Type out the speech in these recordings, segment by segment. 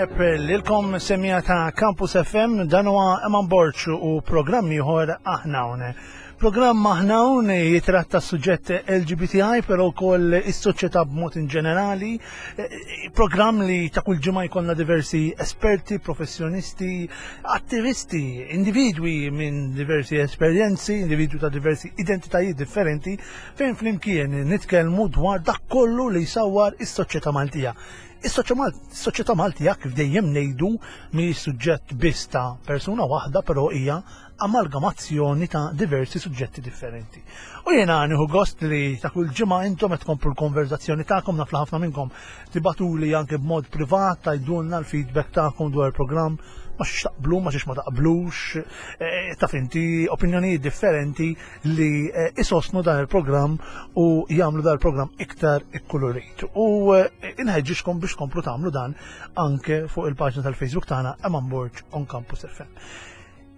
Tajjeb lilkom semija ta' Campus FM dan huwa Eman Borg u programm ieħor aħna hawn. Programm aħna hawn jitratta suġġett LGBTI però wkoll is-soċjetà b'mod in ġenerali. Programm li ta' kull ġimgħa jkollna diversi esperti, professjonisti, attivisti, individwi minn diversi esperjenzi, individwi ta' diversi identitajiet differenti fejn flimkien nitkellmu dwar dak kollu li jsawwar is-soċjetà Maltija. Is-soċjetà Maltija kif dejjem ngħidu mhijiex suġġett biss ta' persuna waħda però hija amalgamazzjoni ta' diversi suġġetti differenti. U jiena nieħu gost li ta' kull ġimgħa intom qed tkomplu l-konverzazzjoni tagħkom naf li ħafna minnkom tibatuli anke b'mod privat tgħidulna l-feedback tagħkom dwar il-programm ma xiex taqblu, ma xiex ma taqblux, eh, taf inti opinjonijiet differenti li eh, isostnu dan il-programm u jagħmlu dan il-programm iktar ikkulurit. U eh, inħeġġixkom biex tkomplu tagħmlu dan anke fuq il-paġna tal-Facebook tagħna Eman Borg on Campus FM.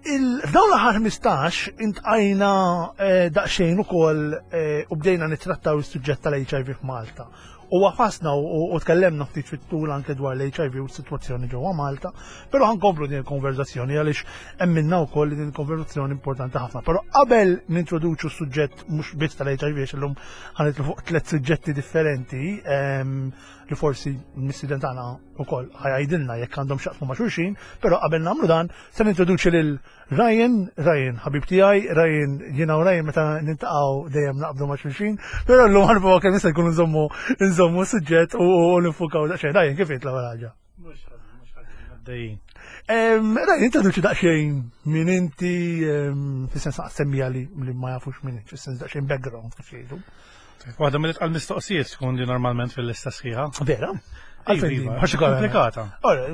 F'dawn l-aħħar 15 intqajna eh, daqsxejn ukoll eh, u bdejna nittrattaw is-suġġett tal-HIV f'Malta. U għafasna u tkellemna ftit fit-tul anke dwar l-HIV u s-sitwazzjoni ġewwa Malta, però ħankomplu din il-konverzazzjoni għaliex emminna wkoll li din il-konverzazzjoni importanti ħafna. Però qabel nintroduċu s-suġġett mhux biss tal-HIV għax illum ħanitlu fuq tliet suġġetti differenti ehm, li forsi l-mistiden tagħna wkoll ħajajdilna jekk għandhom x'jaqsmu ma' xulxin, però qabel nagħmlu dan se nintroduċi lil Ryan, Ryan, ħabib tiegħi, Ryan, jiena u Ryan meta nintaqgħu dejjem naqbdu ma' xulxin, però llum ħarbu kemm jista' jkun nżommu nżommu suġġett u nifukaw daqsxejn. Ryan, kif int l-ewwel ħaġa? Mhux ħażin, mhux ħażin, għaddejjin. Ryan, introduċi daqsxejn min inti, fis-sens semmija li ma jafux min inti, fis-sens daqsxejn background kif jgħidu. Waħda mill-itqal mistoqsijiet tkun di normalment fil-lista sħiħa. Vera? Għalfejn iva, għax komplikata. Ora,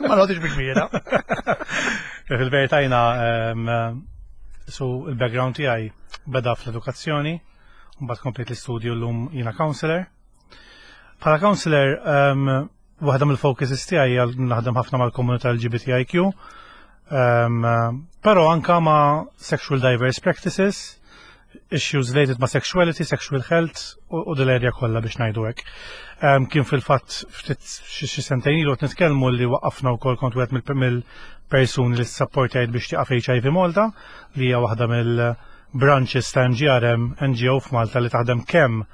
ma nagħtix bi kbira. Fil-verità jiena su il-background tiegħi beda fl-edukazzjoni, mbagħad komplet l-istudju llum jiena counselor. Bħala counselor, waħda mill-focuses tiegħi hija naħdem ħafna mal-komunità LGBTIQ, però anka ma' sexual diverse practices, issues related ma' sexuality, sexual health u dil-area kollha biex ngħidu hekk. Kien fil-fatt ftit xi sentejn ilu qed nitkellmu li waqqafna wkoll kont wieħed mill-persuni li sapportajt biex tieqaf HIV Malta li hija waħda mill-branches ta' MGRM NGO f'Malta li taħdem kemm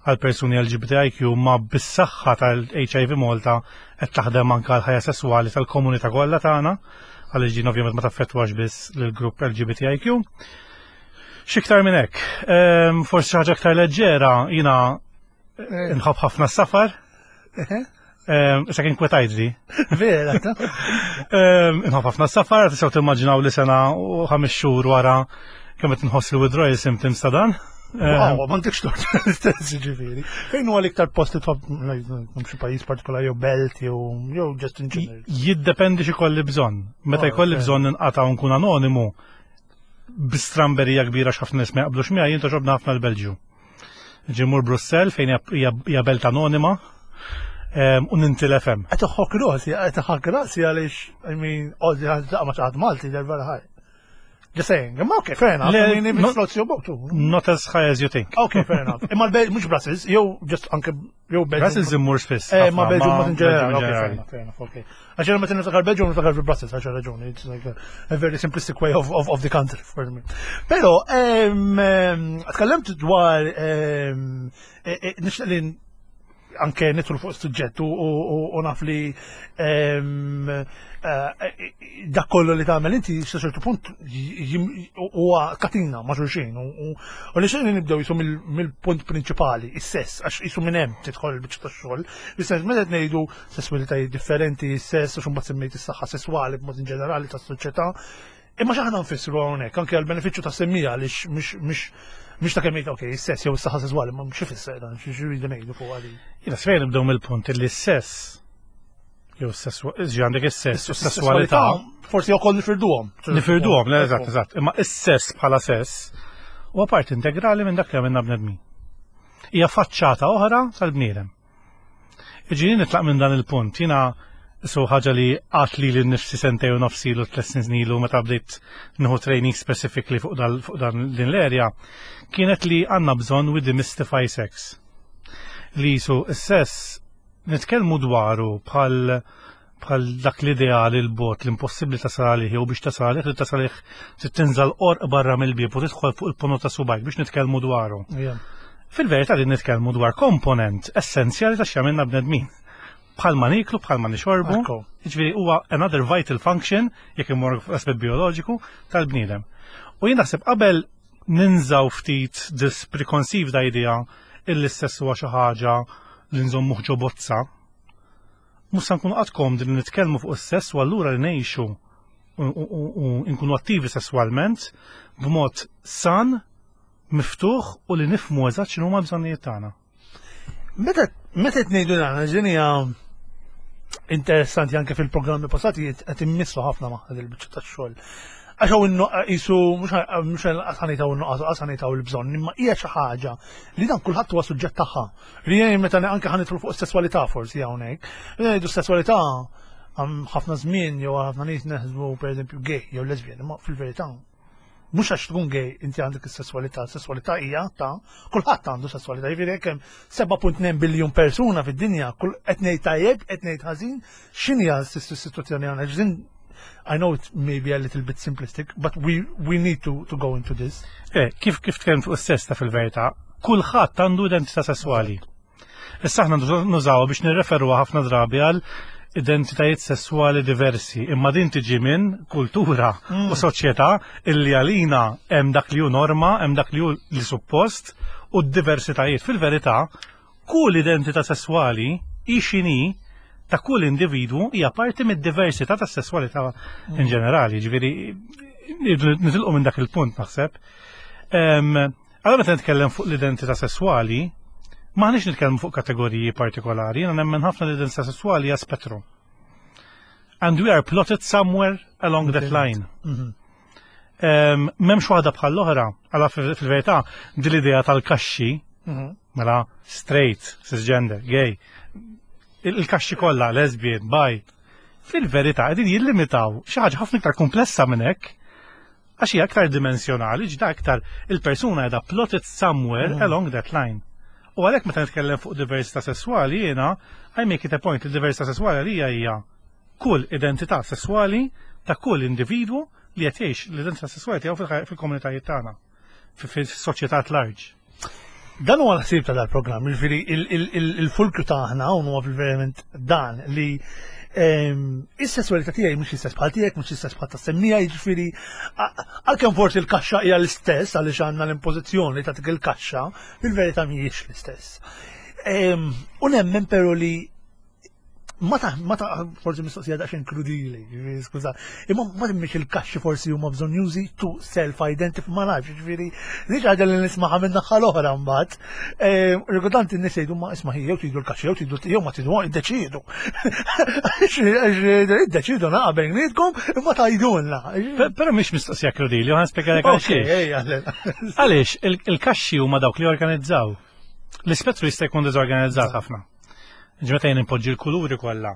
għal persuni LGBTIQ ma bis-saħħa tal-HIV Malta qed taħdem anke għal ħajja sesswali tal-komunità kollha tagħna għaliex din ovvjament ma taffettwax biss lill-grupp LGBTIQ. X'iktar minn hekk, ehm, forsi xi ħaġa aktar leġġera jiena eh, nħobb ħafna s-safar. Ehm, issa kien kwetajt di. Vera, ehm, Nħobb ħafna s-safar, tistgħu timmaġinaw li sena u ħames xhur wara kemm qed nħoss li withdrawal symptoms ta' dan. Wow, ma ntikx tort l-istess ġifieri. Fejn huwa l-iktar post li tħobb xi pajjiż partikolari jew belt jew jew just in general? Jiddependi xi kolli bżonn. Meta oh, jkolli bżonn inqata' u nkun anonimu, bi stramberija kbira x'ħafna nies ma jaqblux miegħi jien toġobna ħafna l-Belġju. Ġimur Brussell fejn hija belt anonima u nintilef hemm. Qed iħokk rasi, qed iħokk rasi għaliex I mean, għoddi ħadd ma xi Malti der vera ħaj. Just saying, imma okay, fair enough. I mean, if it floats your boat. Not as high as you think. Okay, fair enough. Imma l-Belġ mhux Brussels, jew just anke jew Belġu. Brussels immur spiss. Eh, ma Belġu ma ġenerali. Okay, fair enough, fair enough, okay. Għax meta niftakar Belġu niftakar fi Brussels għax raġuni. It's like a, a very simplistic way of, of, of the country for me. Pero, tkellimt dwar e, e, nixtieq li anke nidħlu fuq suġġett u naf li eh, dak kollu li tagħmel inti sa ċertu punt huwa katina ma' xulxin u li xejn nibdew jisu mill-punt prinċipali, is-sess, għax jisu minn hemm tidħol il-biċċa tax-xogħol. Is-sess meta qed ngħidu sesswalitajiet differenti, is-sess għax imbagħad semmejt is-saħħa sesswali b'mod in ġenerali tas-soċjetà. Imma x'aħna nfissru hawnhekk anke għall-benefiċċju ta' semmija għaliex mhux mhux ta' kemm ok, is-sess jew is-saħħa sesswali, ma mhux ifisser dan, xi rridu ngħidu fuq għali. Jiena sfejn nibdew mill-punt li s-sess jew s-sess għandek is-sess u s-sesswalità. Forsi wkoll nifirduhom. Nifirduhom, le eżatt, eżatt. Imma is-sess bħala sess huwa parti integrali minn dak li għamilna bnedmin. Hija faċċata oħra tal-bniedem. Ġieli nitlaq minn dan il-punt, jiena su ħaġa li għat li l-nifsi sentej u nofsi lu tlet snin ilu meta bdejt nieħu training specifically fuq dan din l-area, kienet li għandna bżonn we demystify sex. Li su s-sess nitkellmu dwaru bħal. bħal dak l-ideali l-bot l-impossibbli tasal għalih jew biex tasal għalih li tasal għalih trid tinżal qorq barra mill-bieb u tidħol fuq il-ponot ta' subajk biex nitkellmu dwaru. Fil-verità li nitkellmu dwar komponent essenzjali ta' x'jagħmilna bnedmin. Bħalma niklu, bħalma nixorbu, jiġifieri huwa another vital function jekk imur f'aspett bioloġiku tal-bniedem. U jien naħseb qabel ninżaw ftit this preconceived idea illi s-sess huwa xi ħaġa li nżommuh ġo bozza, mhux se nkunu qatt komdi li nitkellmu fuq is-sess u allura li ngħixu u nkunu attivi sesswalment b'mod san, miftuħ u li nifhmu eżatt x'inhuma l-bżonnijiet tagħna. Meta meta qed ngħidu dan, din hija interessanti anke fil-programmi passati qed immissu ħafna ma' il-biċċa tax-xogħol. Għax hawn qisu mhux ħanejtaw in-nuqqas ħanejtaw il-bżonn, imma hija xi ħaġa li dan kulħadd huwa suġġett tagħha. Li jien meta anke ħanidħlu fuq is-sesswalità forsi hawnhekk. Meta ngħidu sesswalità ħafna żmien jew ħafna nies neħsbu pereżempju gay jew lesbian, imma fil-verità mhux għax tkun gay inti għandek is-sesswalità, is-sesswalità hija ta' kulħadd għandu sesswalità, jiġifieri jekk hemm 7.2 biljun persuna fid-dinja, kull qed ngħid tajjeb, qed ngħid ħażin, x'inhi s-sitwazzjoni hawnhekk? I know it may be a little bit simplistic, but we need to go into this. Eh, kif tkellimt fuq is-sess ta' fil-verità, kulħadd għandu identità sesswali. Issa aħna nużawha biex nirreferuha ħafna drabi għal identitajiet sesswali diversi, imma din tiġi minn kultura u soċjetà illi għalina hemm dak li hu norma, hemm dak li hu li suppost u d-diversitajiet. Fil-verità, kull identità sesswali hi x'inhi ta' kull individwu hija parti mid-diversità tas-sesswalità in ġenerali, ġifieri nitilqu minn dak il-punt naħseb. Allora meta nitkellem fuq l-identità sesswali, m'aħniex nitkellmu fuq kategoriji partikolari, jiena nemmen ħafna l-identità sesswali hija spettru. And we are plotted somewhere along that line. M'hemmx waħda bħal l-oħra, għala fil-verità, din l-idea tal-kaxxi, mela straight, cisgender, gay, il-kaxxi kollha, lesbian, bi, fil-verità qegħdin jillimitaw xi ħaġa ħafna iktar komplessa minn hekk, għax hija aktar dimensjonali, ġda aktar il-persuna qiegħda plotted somewhere along that line. U għalhekk meta nitkellem fuq diversità sesswali jiena I make it a point li diversità sesswali għalija hija kull identità sesswali ta' kull individwu li qed jgħix l-identità sesswali tiegħu fil-komunitajiet tagħna, fis-soċjetà at large. Dan huwa l-ħsieb ta' dal-programm, jiġifieri il-fulkru tagħna hawn huwa fil-verament dan li is-sesswalità tiegħi mhux l-istess bħal tiegħek, mhux l-istess bħal tas-semmija, jiġifieri għalkemm forsi l-kaxxa hija l-istess għaliex għandna l-impożizzjoni ta' dik il-kaxxa, fil-verità mhijiex l-istess. U nemmen però li ma ta' ma ta' forsi mistoqsija daqsxejn krudili, jiġifieri, skuża, imma ma timmix il-kaxxi forsi huma bżonjużi to self-identify, ma nafx, jiġifieri, li ħaġa li nismaħa minn naħa l-oħra mbagħad. Rigordant in-nies jgħidu ma isma' jew tridu l-kaxxi jew tridu jew ma tridu iddeċiedu. Iddeċiedu naqa' bejnietkom imma tgħidulna. Però mhix mistoqsija krudili, u ħa nispjegalek għaliex. Għaliex il-kaxxi huma dawk li organizzaw. L-ispettru jista' jkun diżorganizzat ħafna. Ġmeta jien impoġġi l-kuluri kollha.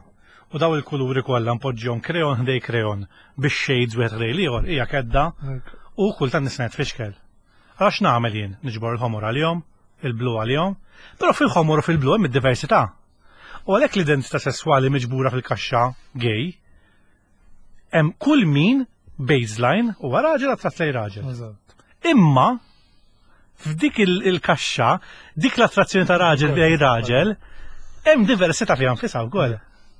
U daw il-kuluri kollha npoġġihom kreon ħdej kreon biex shades wieħed ħdej l-ieħor hija kedda u kultant nisma' tfixkel. Għax nagħmel jien? Niġbor il-ħomor għalihom, il-blu għalihom, però fil-ħomor u fil-blu hemm id-diversità. U għalhekk l-identità sesswali miġbura fil-kaxxa gay hemm kull min baseline huwa raġel attratt lejn raġel. Imma f'dik il-kaxxa, dik l-attrazzjoni ta' raġel lejn raġel, hemm diversità fiha nfisha wkoll.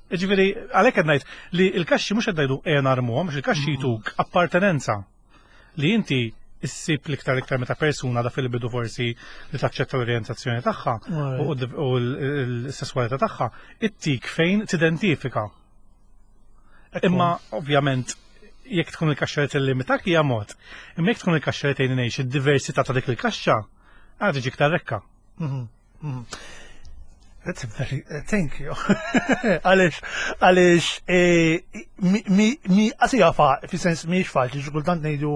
Ġifieri, għalhekk qed ngħid li l-kaxxi mhux qed ngħidu ejja narmuhom, għax il-kaxxi jtuk appartenenza li inti issib l-iktar iktar meta persuna da fil-bidu forsi li taċċetta l-orjentazzjoni tagħha u l-sesswalità tagħha, ittik fejn tidentifika. Imma ovvjament jekk tkun il-kaxxa li tillimitak hija mod. Imma jekk tkun il-kaxxa li tgħinni ngħix id-diversità ta' dik il-kaxxa, għad tiġi iktar rekka. That's a very, thank you. Għalix, għalix, mi, mi, mi, għasija fa, fi sens miex faċli, xi kultant ngħidu,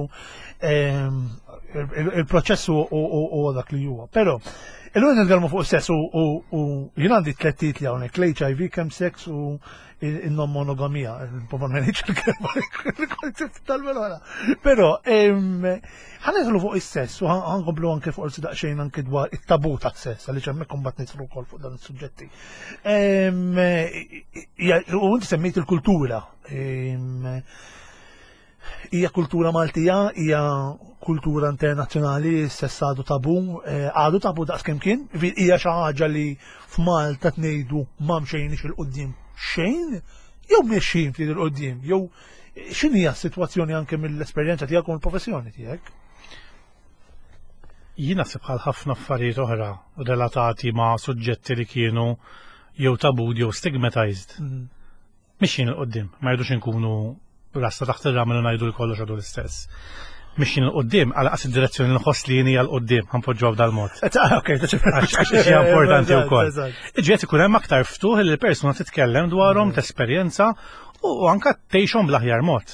il-proċess u dak li huwa. Però, illum nitkellmu fuq sess u jien għandi tliet titli hawnhekk, l-HIV, kemm seks u il-non monogamija, probabbilment il-kelma il-koncept tal-melona. Però, ħanidħlu fuq is-sess u ħankomplu anke forsi daqsxejn anke dwar it-tabu tas-sess, għaliex hemmhekk imbagħad nidħlu wkoll fuq dan is-suġġetti. U inti semmejt il-kultura. Hija kultura Maltija, hija kultura internazzjonali, sess għadu tabu, eh, għadu tabu daqs kemm kien, hija xi ħaġa li f'Malta tnejdu ma mxejniex il-qudiem xejn, jew mexxin ftit il-qudiem, jew x'inhi s-sitwazzjoni anke mill-esperjenza tiegħek u mill-professjoni tiegħek? Jien naħseb bħal ħafna affarijiet oħra relatati ma' suġġetti li kienu jew tabu jew stigmatized. Mixjin 'il quddiem, ma rridux inkunu rasta taħt ir-ramel u ngħidu li kollox għadu l-istess. Mixjin 'il quddiem, għal qas id-direzzjoni li nħoss li jien hija 'l quddiem, ħanpoġġuha b'dal-mod. Ok, Għax hija importanti wkoll. Iġiet ikun hemm aktar ftuħ li l-persuna titkellem dwarhom, tesperjenza u anka tgħixhom bl-aħjar mod.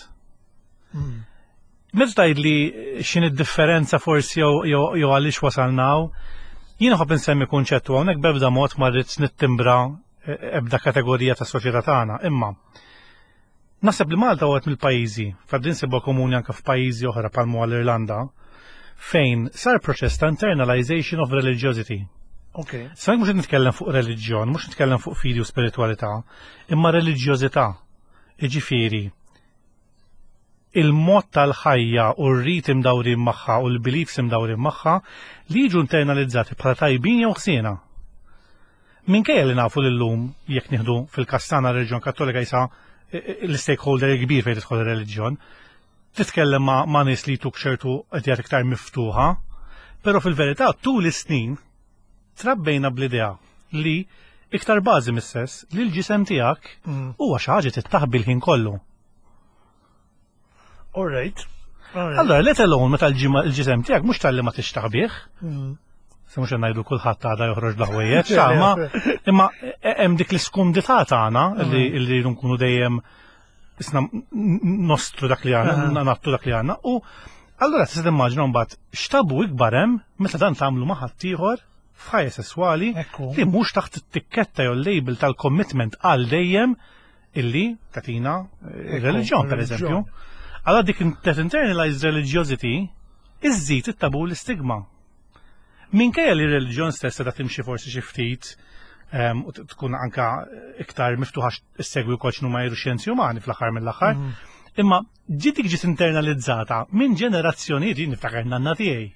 Meta tgħid li x'in id-differenza forsi jew għaliex wasalna hawn, jien nħobb insemmi kunċett u hawnhekk b'ebda mod ma rrid nittimbra ebda kategorija ta' soċjetà tagħna, imma naħseb li Malta huwa mill-pajjiżi, f'għaddin sibha komuni anke f'pajjiżi oħra bħal l-Irlanda, fejn sar proċess ta' internalization of religiosity. Okay. Sa mhux nitkellem fuq reliġjon, mhux nitkellem fuq fidi u spiritualità, imma reliġjożità. Iġifieri, il-mod tal-ħajja u r-rit imdawrin magħha u l-beliefs imdawrin magħha li jiġu internalizzati bħala tajbin jew ħsiena. Minkejja li nafu li llum jekk nieħdu fil-każ tagħna r-reliġjon Kattolika jisa l-stakeholder kbir fejn tidħol ir-reliġjon, titkellem ma', ma nies li jtuk ċertu ideat iktar miftuħa, però fil-verità tul is-snin trabbejna bl-idea li iktar bażi mis-sess li l-ġisem tiegħek huwa xi ħaġa tittaħbi l-ħin kollu. All right. Allora, let alone meta l-ġisem tiegħek mhux tal-li ma tixtaħbih. Se mhux ngħidu kulħadd għada joħroġ bl-ħwejjeġ, ma imma hemm dik l-iskumdità tagħna li rridu nkunu dejjem isna nostru dak li għandna, nattu dak li għandna. U allura tista' timmaġina mbagħad x'tabu ikbar hemm meta dan tagħmlu ma' ħaddieħor f'ħajja sesswali li mhux taħt it-tikketta jew label tal-commitment għal dejjem illi tatina reliġjon per eżempju. Allora dik that internalized religiosity iżżid it-tabu l-istigma. Minkejja li r-reliġjon stess ta' timxi forsi xi ftit u tkun anka iktar miftuħa issegwi wkoll x'inhu ma jgħidu xjenzi umani fl-aħħar mill-aħħar. Imma ġiet dik ġiet internalizzata minn ġenerazzjonijiet jien niftakar nanna tiegħi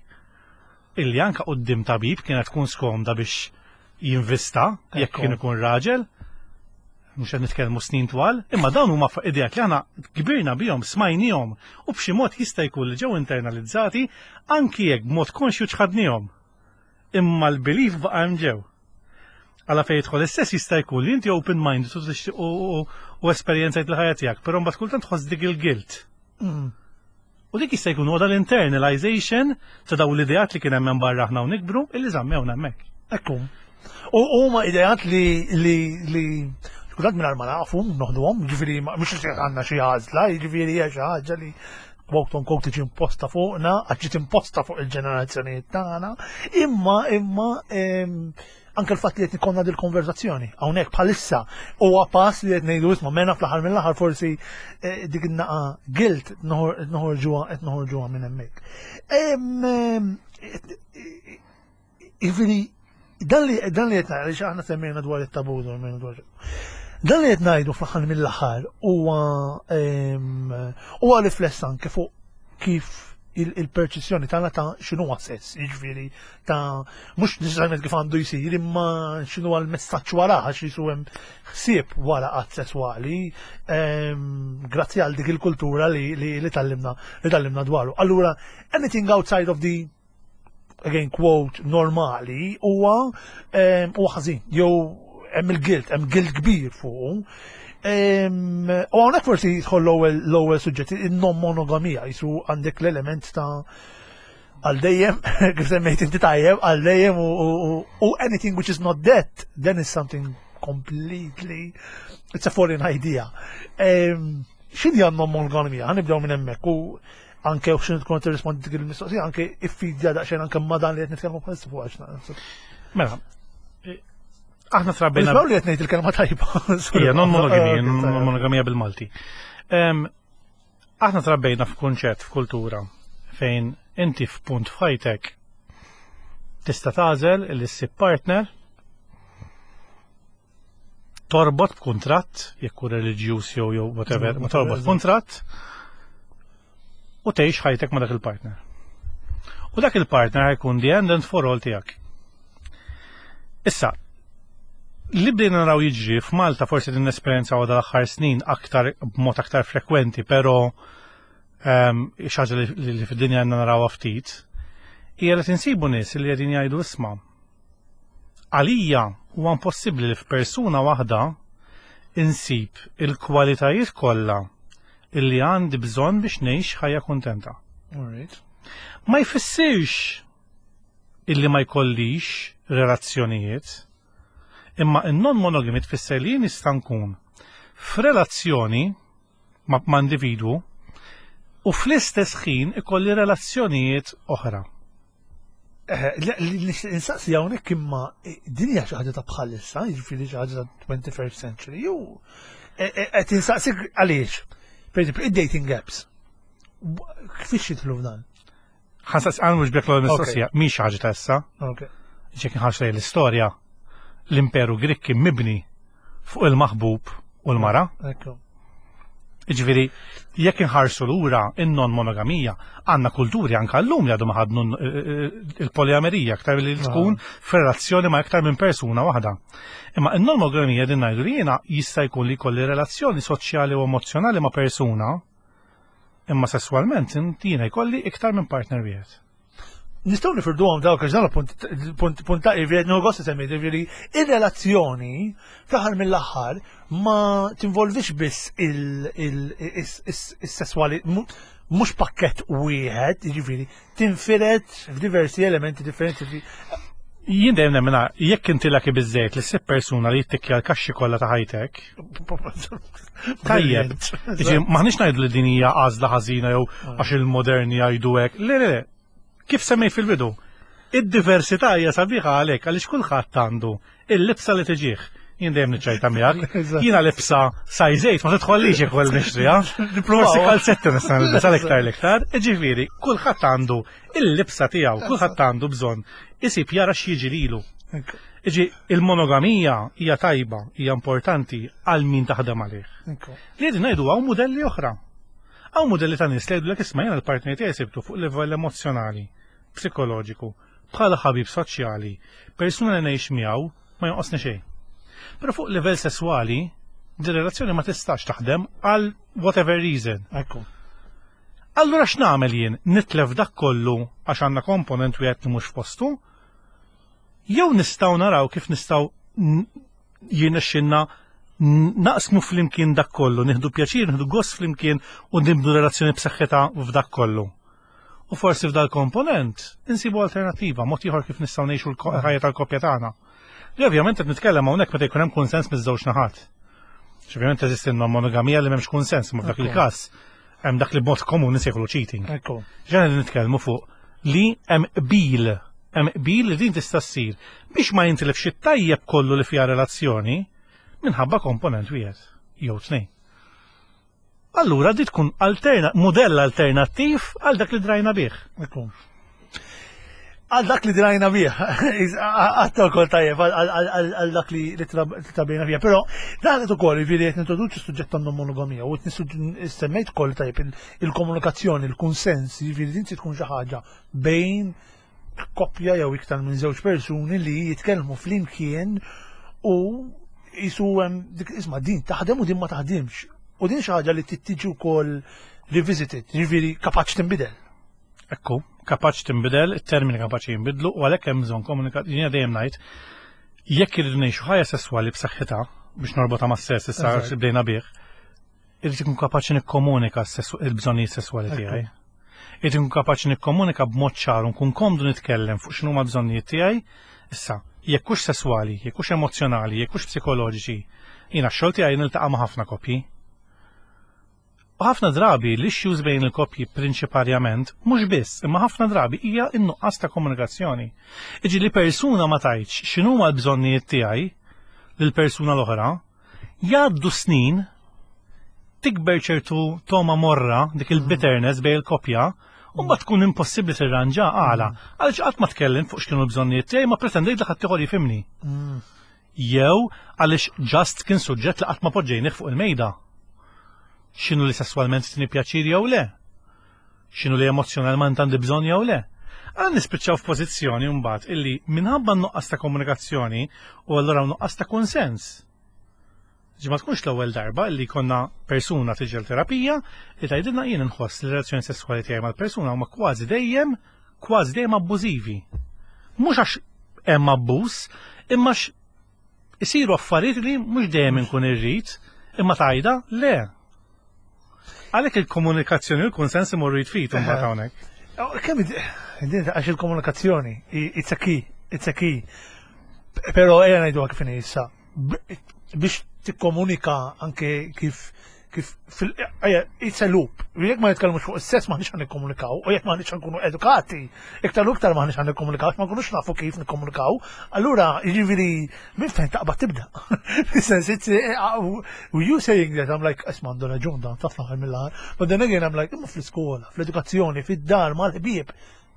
illi anka quddiem tabib kienet tkun skomda biex jinvista jekk kien ikun raġel mhux qed nitkellmu snin twal, imma dawn huma ideat li aħna kbirna bihom, smajnihom u b'xi mod jista' jkun li ġew internalizzati anki jekk b'mod konxju ċħadnihom. Imma l-belief baqa' hemm ġew. Għala fejn jidħol is-sess jista' jkun li inti open minded u tixtieq u esperjenzajt il-ħajja tiegħek, però mbagħad kultant tħoss dik il-guilt. U dik jista' jkun huwa l-internalization ta' dawn l-ideat li kien hemm barra aħna u nikbru illi żammewna hemmhekk. Ekku. U huma ideat li li li kultant mingħajr ma nafu noħduhom, ġifieri mhux li għandna xi għażla, jiġifieri hija xi ħaġa li quote on quote tiġi imposta fuqna, għax ġiet imposta fuq il-ġenerazzjonijiet tagħna, imma imma anke l-fatt li qed ikollna dil-konverzazzjoni hawnhekk bħalissa huwa pass li qed ngħidu isma' mena fl-aħħar mill-aħħar forsi eh, dik in-naqa guilt noħorġuha qed noħorġuha minn hemmhekk. Jiġifieri dan li dan li qed ngħidu aħna semmejna dwar it-tabu dwar Dan li qed ngħidu fl-aħħar mill-aħħar huwa huwa rifless anke fuq kif il-perċezzjoni tagħna ta' x'inhu sess, jiġifieri ta' mhux neċessarjament kif għandu jsir, imma x'inhu l-messaġġ wara għax jisu hemm ħsieb wara qatt sesswali grazzi għal dik il-kultura li li tallimna li tallimna dwaru. Allura anything outside of the again quote normali huwa huwa ħażin jew hemm il-guilt, hemm guilt kbir fuq. U hawnhekk forsi jidħol l-ewwel suġġett, in-non monogamija, jisu għandek l-element ta' għal dejjem, kif semmejt inti tajjeb, għal dejjem u anything which is not that, then is something completely, it's a foreign idea. X'inhi non monogamija? Ħanibdew minn hemmhekk u Anke u x'inhu tkun tirrispondi dik il-mistoqsija, anke iffidja daqsxejn anke ma' dan li qed nitkellmu bħalissa fuq għax. Mela, aħna trabbejna. Nisbaw li qed ngħid il-kelma tajba. Ija, non monogamija, non monogamija bil-Malti. Aħna trabbejna f'kunċett, f'kultura, fejn inti f'punt f'ħajtek tista' tagħżel li ssib partner torbot b'kuntratt, jekk hu reliġjuż jew jew whatever, ma torbot kuntratt u tgħix ħajtek ma' dak il-partner. U dak il-partner ħajkun the end and for all tiegħek. Issa, li bdejna naraw jiġri f'Malta forsi din l-esperjenza għadha l-aħħar snin aktar b'mod aktar frekwenti, però ehm, xi ħaġa li fid-dinja għandna narawha ftit, hija li tinsibu nies li qegħdin jgħidu isma' Għalija huwa impossibbli li f'persuna waħda insib il-kwalitajiet kollha illi għandi bżonn biex ngħix ħajja kuntenta. Ma jfissirx illi ma jkollix relazzjonijiet, imma in-non monogamy tfisser li jien nista' nkun f'relazzjoni ma' ma' individwu u fl-istess ħin ikolli relazzjonijiet oħra. Insaqsi hawnhekk imma eh, din hija xi ħaġa ta' bħalissa, jiġifieri xi ħaġa ta' 21st century, jew eh, eh, qed insaqsik għaliex. Per eżempju, id-dating apps. Kif jidħlu f'dan? Ħansaqs għan mhux bjek l mistoqsija, mhix xi ħaġa ta' issa. Ġek nħarsu lejn l-istorja, l-Imperu Grik kien mibni fuq il-maħbub u l-mara. Jiġifieri, jekk inħarsu lura in-non monogamija, għandna kulturi anka llum li għadhom ħadnu il-poliamerija aktar li tkun f'relazzjoni ma' iktar minn persuna waħda. Imma in-non monogamija din ngħidu li jiena jista' jkun li jkolli relazzjoni soċjali u emozzjonali ma' persuna, imma sesswalment jiena jkolli iktar minn partner wieħed. Nistgħu nifirduhom dawk għax dan punt punt punt ta' jiġifieri nieħu gost semmi jiġifieri ir-relazzjoni fl-aħħar mill-aħħar ma tinvolvix biss is-sesswali mhux pakkett wieħed, jiġifieri tinfired f'diversi elementi differenti. Jien dejjem nemmena jekk inti laki biżejjed li ssib persuna li jittikkja l-kaxxi kollha ta' ħajtek. Tajjeb. Jiġi maħniex ngħidu li din hija għażla ħażina jew ah. għax il-moderni jgħidu hekk. Le, le, le. Kif semmej fil-bidu? Id-diversità hija sabiħa għalhekk għaliex kulħadd għandu il-libsa li tiġih. Jien dejjem niċċajta miegħek. Jiena libsa size 8 ma tidħollix jekk ukoll nixtriha. Forsi kalzetti nista' nilbes għal iktar l-iktar. Ġifieri, kulħadd għandu il-libsa tiegħu, kulħadd għandu bżonn isib jara x'jiġi lilu. Iġi, il-monogamija hija tajba, hija importanti għal min taħdem għalih. Li qegħdin ngħidu hawn mudelli oħra. Hawn mudelli ta' nies li jgħidulek isma' jiena l-partner tiegħi sibtu fuq livell emozzjonali, psikoloġiku, bħala ħabib soċjali, persuna li ngħix miegħu ma jonqosni xejn. Però fuq livell sesswali, din relazzjoni ma tistax taħdem għal whatever reason. Ekku. Allura x'nagħmel jien? Nitlef dak kollu għax għandna komponent wieħed li mhux f'postu? Jew nistgħu naraw kif nistgħu jirnexxinna naqsmu flimkien dak kollu, nieħdu pjaċir, nieħdu gost flimkien u nibnu relazzjoni b'saħħitha f'dak kollu. U forsi f'dal komponent insibu alternattiva, mod ieħor kif nistgħu ngħixu l-ħajja tal-koppja tagħna. Li ovvjament qed nitkellem hawnhekk meta jkun hemm kunsens miż-żewġ naħat. Ovvjament teżisti monogamija li m'hemmx kunsens, ma f'dak il-każ hemm dak li b'mod komuni nsejħulu cheating. Ġena nitkellmu fuq li hemm qbil, hemm qbil li din tista' ssir biex ma jintilifx it-tajjeb kollu li fiha relazzjoni minħabba komponent wieħed jew tnejn. Allura di tkun alterna, mudell alternattiv għal dak li drajna bih. Għal dak li drajna bih, għatta kol tajjeb, għal dak li trabejna bih. Pero dan qed ukoll jiġifieri qed nintroduċi suġġett ta' monogamija u qed semmejt ukoll tajjeb il-komunikazzjoni, il-kunsens, jiġifieri din tkun xi ħaġa bejn koppja jew iktar minn żewġ persuni li jitkellmu flimkien u jisu dik isma' din taħdem u din ma taħdimx. U din xi ħaġa li tittiġi wkoll revisited, jiġifieri kapaċi tinbidel. Ekku, kapaċi tinbidel, it-termini kapaċi jinbidlu u għalhekk hemm bżonn komunikazzjoni. Jiena dejjem ngħid jekk irridu ngħixu ħajja sesswali b'saħħitha biex norbotha mas-sess issa bdejna bih, Irrid ikun kapaċi nikkomunika il-bżonnijiet sesswali tiegħi. Irrid ikun kapaċi nikkomunika b'mod ċar u nkun komdu nitkellem fuq x'inhuma l-bżonnijiet tiegħi. Issa, jekk hux sesswali, jekk hux emozzjonali, jekk hux psikoloġiċi, jiena x-xogħol tiegħi niltaqa' ma' ħafna koppji. U ħafna drabi l-issues bejn il-koppji prinċiparjament, mhux biss, imma ħafna drabi hija n-nuqqas ta' komunikazzjoni. Iġi li persuna ma tgħidx x'inhuma l-bżonnijiet tiegħi lill-persuna l-oħra, jgħaddu snin tikber ċertu toma morra dik il-bitterness bejn il-koppja u ma tkun impossibbli tirranġa għala. Għaliex qatt ma tkellim fuq x'kienu l-bżonnijiet tiegħi ma pretendejt li ħadd ieħor jifhimni. Jew għaliex just kien suġġett li qatt ma poġġejnih fuq il-mejda. X'inhu li sesswalment tini pjaċir jew le? X'inhu li emozzjonalment għandi bżonn jew le? Għal nispiċċaw f'pożizzjoni mbagħad illi minħabba nuqqas ta' komunikazzjoni u allura nuqqas ta' konsens. Ġi ma tkunx l-ewwel darba illi konna persuna tiġi l-terapija li tgħidilna jien inħoss li relazzjoni sesswali tiegħi mal-persuna huma kważi dejjem kważi dejjem abbużivi. Mhux għax hemm abbuż, imma isiru affarijiet li mhux dejjem inkun irrid, imma tajda le. Għalhekk il-komunikazzjoni u l-konsens imorru jitfit mbagħad hawnhekk. Oh, kemm għax il-komunikazzjoni, it's a key, it's a key. Però ejja ngħidu kif issa. Biex tikkomunika anke kif kif fil it's a loop. Jekk ma nitkellmux fuq is-sess m'aħniex ħan nikkomunikaw, u jekk m'aħniex nkunu edukati, iktar u iktar m'aħniex ħan nikkomunikaw, ma nkunux nafu kif nikkomunikaw, allura jiġifieri minn fejn taqbad tibda. Fis-sens it's you saying that I'm like isma' għandu raġun dan taf l-aħħar mill-aħħar. But then again I'm like imma fl-iskola, fl-edukazzjoni, fid-dar, mal-ħbieb,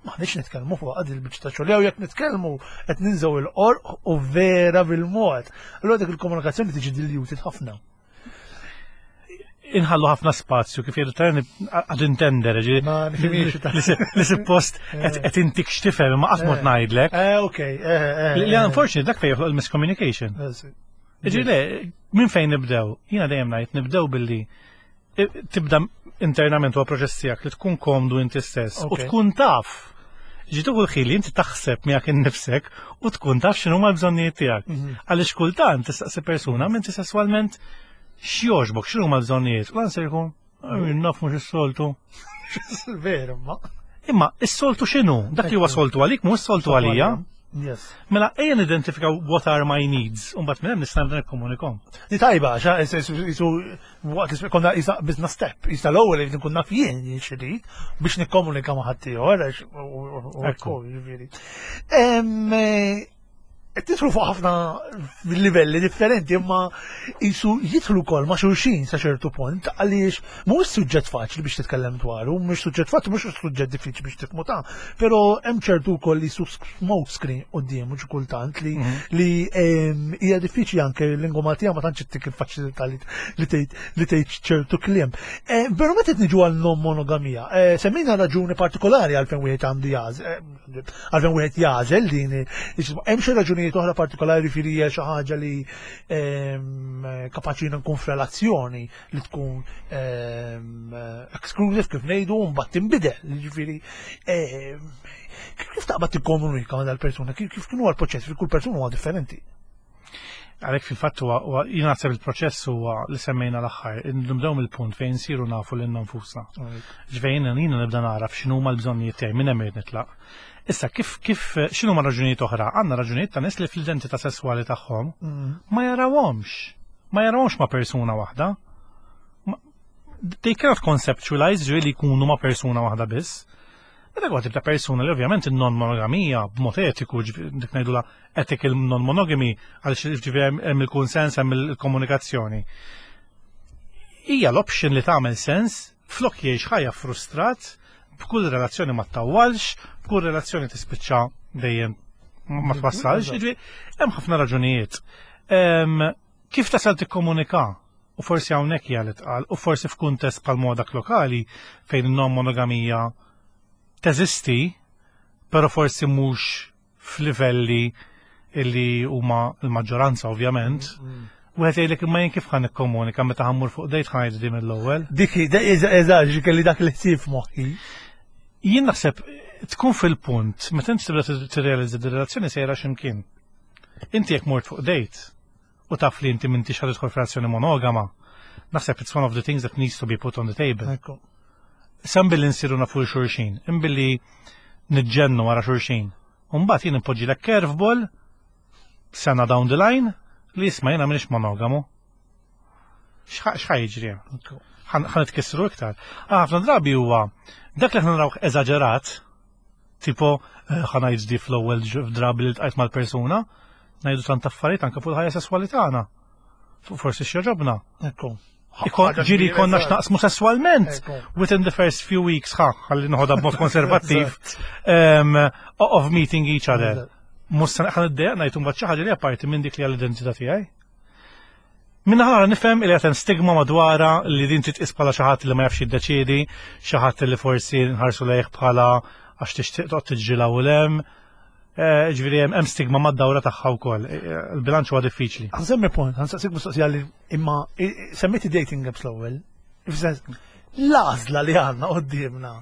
m'aħniex nitkellmu fuq għad il-biċċa ta' xogħol, jew jekk nitkellmu qed ninżgħu il-qorq u vera bil-mod. Allura dik il-komunikazzjoni tiġi diluted ħafna. Inħallu ħafna spazju kif jgħidu tajni għad intender, li suppost qed intik x'tifhem ma qatt mod ngħidlek. Eh, Li unfortunately dak fejn joħloq il-miscommunication. Iġi le, minn fejn nibdew? Jiena dejjem ngħid nibdew billi tibda internament huwa proċess tiegħek li tkun komdu inti stess u tkun taf. Ġitu kull li inti taħseb miegħek innifsek u tkun taf x'inhuma l-bżonnijiet tiegħek. Għaliex kultant tistaqsi persuna minn sesswalment x'jogħġbok, x'inhuma l-bżonnijiet. U l-answer jkun naf mhux is-soltu. Veru, ma. Imma is-soltu x'inhu? Dak li huwa soltu għalik mhux soltu għalija. Yes. Mela ejja nidentifikaw what are my needs, u mbagħad minn hemm nista' nibda nikkomunikom. Di tajba, xa, jisu, waqt li konna jisa business step, jisa l-ewwel li nkun naf jien x'irid biex nikkomunika ma' ħaddieħor, għax Ekku. jiġifieri. Tidħlu fuq ħafna livelli differenti, imma jisu jidħlu wkoll ma' xulxin sa ċertu punt, għaliex mhuwiex suġġett faċli biex titkellem dwaru, mhux suġġett faċli, mhux suġġett diffiċli biex tifhmu ta' però hemm ċertu wkoll li su smoke screen qudiemu xi kultant li li hija diffiċli anke l-lingwa Maltija ma tantx ittik il-faċilità li tgħid li tgħid ċertu kliem. Eh, però meta qed niġu għal non monogamija, eh, semmejna raġuni partikolari għalfejn wieħed għandu jagħżel, għalfejn wieħed jagħżel din, hemm xi raġunijiet oħra partikolari ġifieri hija xi ħaġa li kapaċi nkun f'relazzjoni li tkun exclusive kif ngħidu u mbagħad tinbidel, jiġifieri kif taqbad tikkomunika ma' dal-persuna, kif kienu l-proċess, fi kull persuna huwa differenti. Għalhekk fil-fatt huwa jien naħseb il-proċess huwa li semmejna l-aħħar, nibdew mill-punt fejn nsiru nafu lilna nfusna. Ġvejn jiena nibda naraf x'inhuma l-bżonnijiet tiegħi minn hemm irid nitlaq. Issa kif kif x'inhuma raġunijiet oħra? Għandna raġunijiet ta' nies li fl-identità sesswali tagħhom ma jarawhomx. Ma jarawhomx ma' persuna waħda. They cannot conceptualize ġifieri li jkunu ma' persuna waħda biss. Meta kwa tibda persuna li ovvjament il-non-monogamija b'mod etiku, dik ngħidula ethical non-monogamy, għaliex ġifieri hemm il-kunsens, hemm il-komunikazzjoni. Hija l-option li tagħmel sens flok jgħix ħajja frustrat b'kull relazzjoni ma ttawwalx, b'kull relazzjoni tispiċċa dejjem ma twassalx, ġifieri hemm ħafna raġunijiet. Kif tasal tikkomunika? U forsi hawnhekk hija li tqal, u forsi f'kuntest bħal modak lokali fejn non-monogamija teżisti, però forsi mhux f'livelli illi huma l-maġġoranza ovvjament. Wieħed jgħidlek imma jien kif ħa nikkomunika meta ħa mmur fuq date ħa ngħid din mill-ewwel. Dik eżatt kelli dak li ħsieb moħħi. Jien naħseb tkun fil-punt meta inti tibda tirrealizza di relazzjoni sejra x'imkien. Inti jekk mort fuq date u taf li inti m'intix ħa tidħol f'relazzjoni monogama, naħseb it's one of the things that needs to be put on the table. Sem billi nsiru nafu xulxin, imbilli niġġennu wara xulxin. Umbagħad jien impoġġi curveball sena down the line li jisma' jiena m'iniex monogamu. X'ħa jiġri? Ħa nitkissru iktar. Ħafna drabi huwa dak li aħna narawh eżaġerat, tipo ħa ngħid di fl-ewwel drabi li ltqajt mal-persuna, ngħidu tant affarijiet anke fuq il-ħajja sesswali tagħna. Forsi x'jogħġobna. Ekku. Ġieli konna x'naqsmu sesswalment within the first few weeks, ħa, ħalli noħodha b'mod konservattiv, of meeting each other. Mhux se ħa niddejjaq ngħid imbagħad xi ħaġa li apparti minn dik li għall-identità tiegħi. Minna ħara nifhem li qed hemm stigma madwarha li din titqis bħala xi ħadd li ma jafx jiddeċiedi, xi ħadd li forsi nħarsu lejh bħala għax tixtieq toqgħod tiġġilha u lem. Ġifieri hemm stigma mad-dawra tagħha wkoll. Il-bilanċ huwa diffiċli. Ħa nsemmi punt, ħa nsaqsik mistoqsija li imma semmejti dating apps l-ewwel. L-għażla li għandna qudiemna.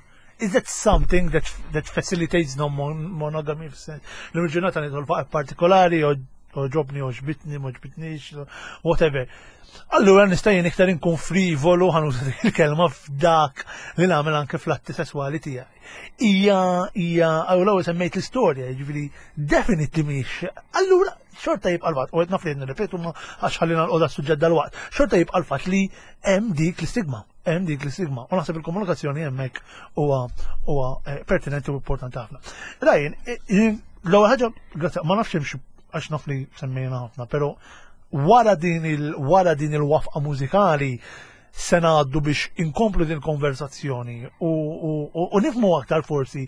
Is that something that facilitates no monogamy? L-ġurnata nidħol fuq partikolari, għoġobni, għoġbitni, m'għoġbitnix, whatever. Allura nista' jien iktar inkun frivolu, ħa nuża dik il-kelma f'dak li nagħmel anke fl-atti sesswali tiegħi. Ija, ija, għaw l-ewwel semmejt l-istorja, jiġifieri definitely mhix. Allura xorta jibqa' l-fatt, u qed naf li nirrepetu ma għax ħallina l-qoda suġġett dal-waqt, xorta jibqa' l-fatt li hemm dik l-istigma, hemm dik l-istigma. U naħseb il-komunikazzjoni hemmhekk huwa pertinenti u importanti ħafna. Ryan, l-ewwel ħaġa, grazzi, ma nafx hemmx għax naf li semmejna ħafna, però wara din il-wafqa mużikali se ngħaddu biex inkomplu din konversazzjoni u nifhmu aktar forsi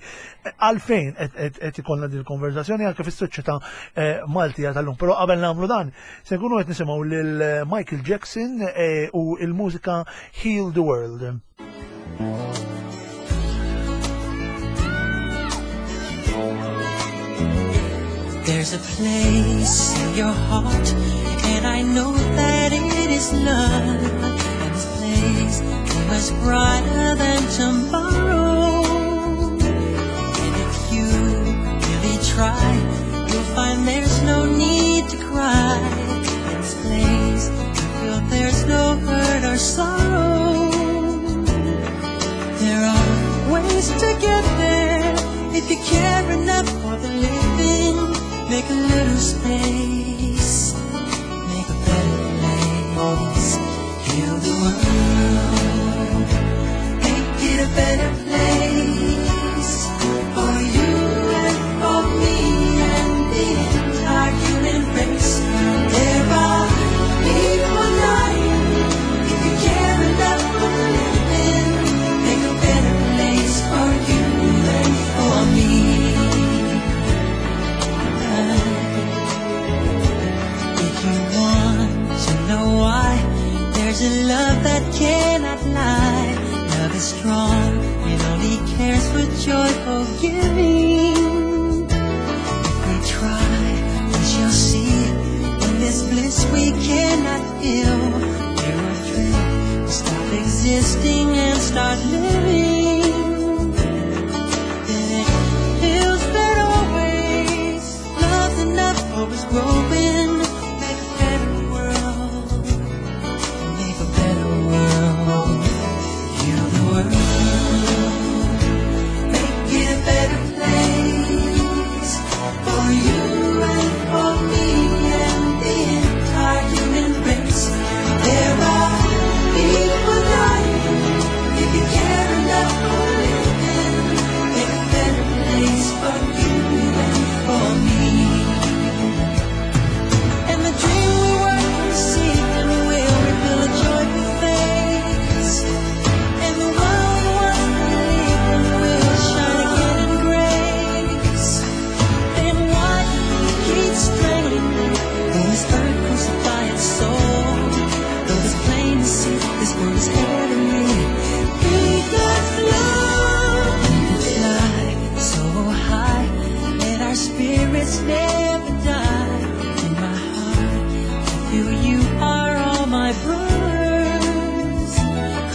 għalfejn qed ikollna din il-konversazzjoni anke fis-soċjetà Maltija tal-lum. Però qabel nagħmlu dan, se nkunu qed nisimgħu lil Michael Jackson u il-mużika Heal the World. There's a place in your heart, and I know that it is love. And this place is much brighter than tomorrow. And if you really try, you'll find there's no need to cry. In this place, you feel there's no hurt or sorrow. There are ways to get there if you care enough for the living. Make a little space, make a better place. Heal the world, make it a better place for you and for me and the entire human race. There are people dying. If you care enough for the living, make a better place for you and for me. If you want to know why, there's a love that cannot lie. Love is strong, it only cares for joyful giving. If we try, we shall see. In this bliss we cannot feel. We're a dream, we stop existing and start living. Then it feels that always love's enough for us growing. Make a better world, make a better world. Heal the world, make it a better place for you and for me and the entire human race. There are people dying. If you care enough for living, make a better place for you and for me. And the dream we were conceived will reveal a joyful face. And the world we once believed in will shine again in grace. Then why do we keep strangling though this earth crucify its soul? Though it's plain to see this world is heavenly. Be God's love. We fly so high, let our spirits never die. In my heart, I feel you are all my brothers.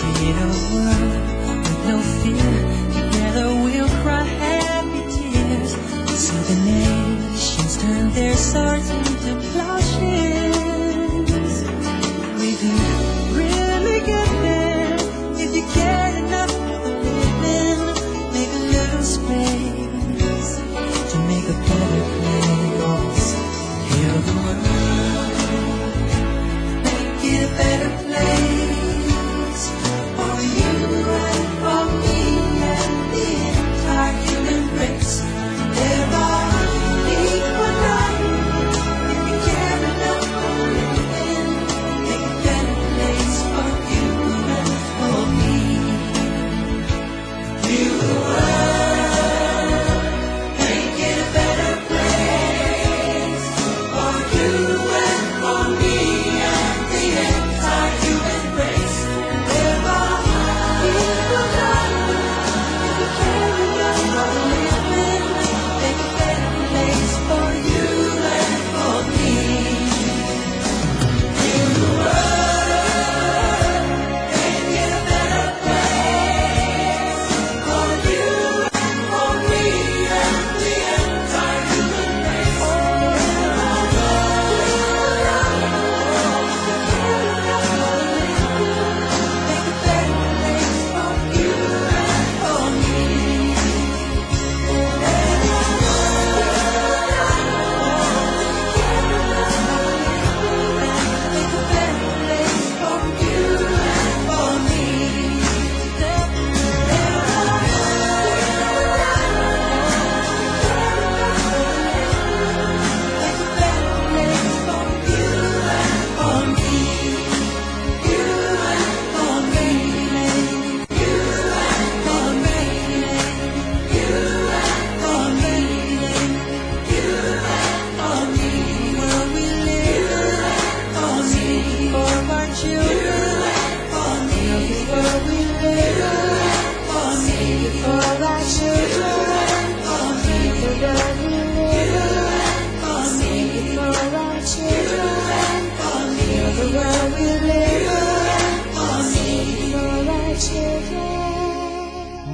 Create a world with no fear. Together we'll cry happy tears. So the nations turn their swords into plowshares. We could really get there if you cared enough for the living. Make a little space to make a better place. Heal the world, make it a better place.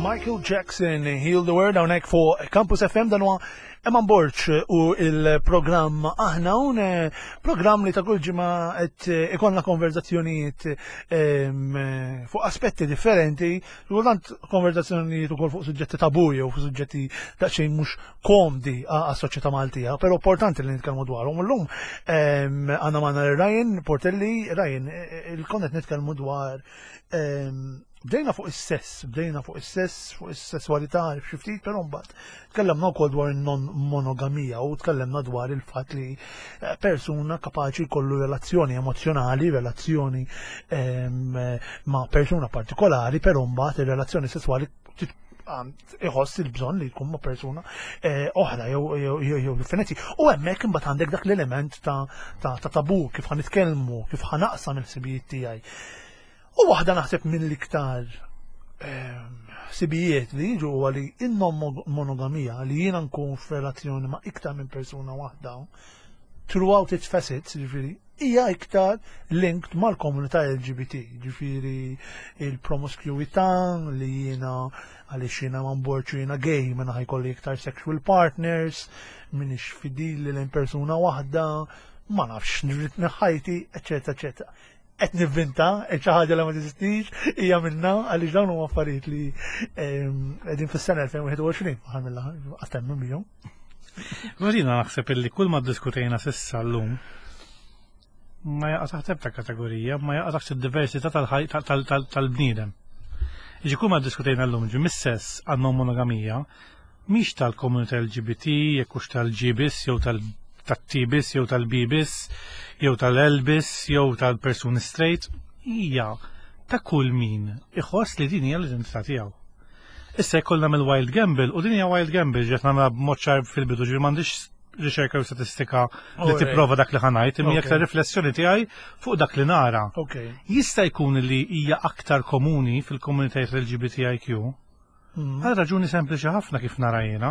Michael Jackson, Heal the World, hawnhekk fuq Campus FM dan huwa Eman Borg u il-programm Aħna un programm li ta' kull ġimgħa qed ikollna konverzazzjonijiet fuq aspetti differenti, kultant konverzazzjonijiet ukoll fuq suġġetti tabu jew fuq suġġetti daqsxejn mhux komdi għas-soċjetà Maltija, però importanti li nitkellmu dwarhom. Illum għandna magħna Ryan Portelli, Ryan, il-konnet nitkellmu dwar Bdejna fuq is-sess, bdejna fuq is-sess, fuq is-sesswalità, xi ftit, però mbagħad tkellemna wkoll dwar in-non monogamija u tkellemna dwar il-fatt li eh, persuna kapaċi jkollu relazzjoni emozjonali, relazzjoni ehm, ma' persuna partikolari, però mbagħad ir-relazzjoni sesswali iħoss il-bżonn li jkun ma' persuna eh, oħra jew differenti. U hemmhekk imbagħad għandek dak l-element ta' tabu kif ħanitkellmu, kif ħanaqsam il-ħsibijiet tiegħi. U waħda naħseb mill-iktar ehm, ħsibijiet li jiġu huwa li in-non monogamija li jiena nkun f'relazzjoni ma' iktar minn persuna waħda throughout its facets, ġifieri, hija iktar linked mal-komunità LGBT, ġifieri il-promiscuità li jiena għaliex jiena ma nborċu jiena gay mela ħajkolli iktar sexual partners, minix fidili lejn persuna waħda, ma nafx nirrid ħajti, eċetera, eċetera. Qed nivvinta xi ħaġa li ma teżistix hija minna għaliex dawn huma affarijiet li ehm, qegħdin fis-sena 2021 aħħar mill-aħħar qatt temmen bihom. Marina naħseb illi kull ma ddiskutejna s'issa llum ma jaqa' taħt ebda kategorija, ma jaqa' taħt id-diversità tal-bniedem. Iġi kull ma ddiskutejna llum ġi mis-sess għan monogamija, mhix tal-komunità LGBT, jekk hux tal-G biss jew tal-T biss jew tal-B biss, jew tal-L biss, jew tal-persuni straight, hija ta' kull min iħoss li din hija l-identità tiegħu. Issa jekk nagħmel wild gamble, u din hija wild gamble ġiet nagħmilha b'mod ċar fil-bidu ġifieri m'għandix riċerka u statistika li tipprova dak li ħanajt, imma aktar riflessjoni tiegħi fuq dak li nara. Jista' jkun li hija aktar komuni fil-komunitajiet LGBTIQ Mm. Għal raġuni sempliċi ħafna kif nara jiena.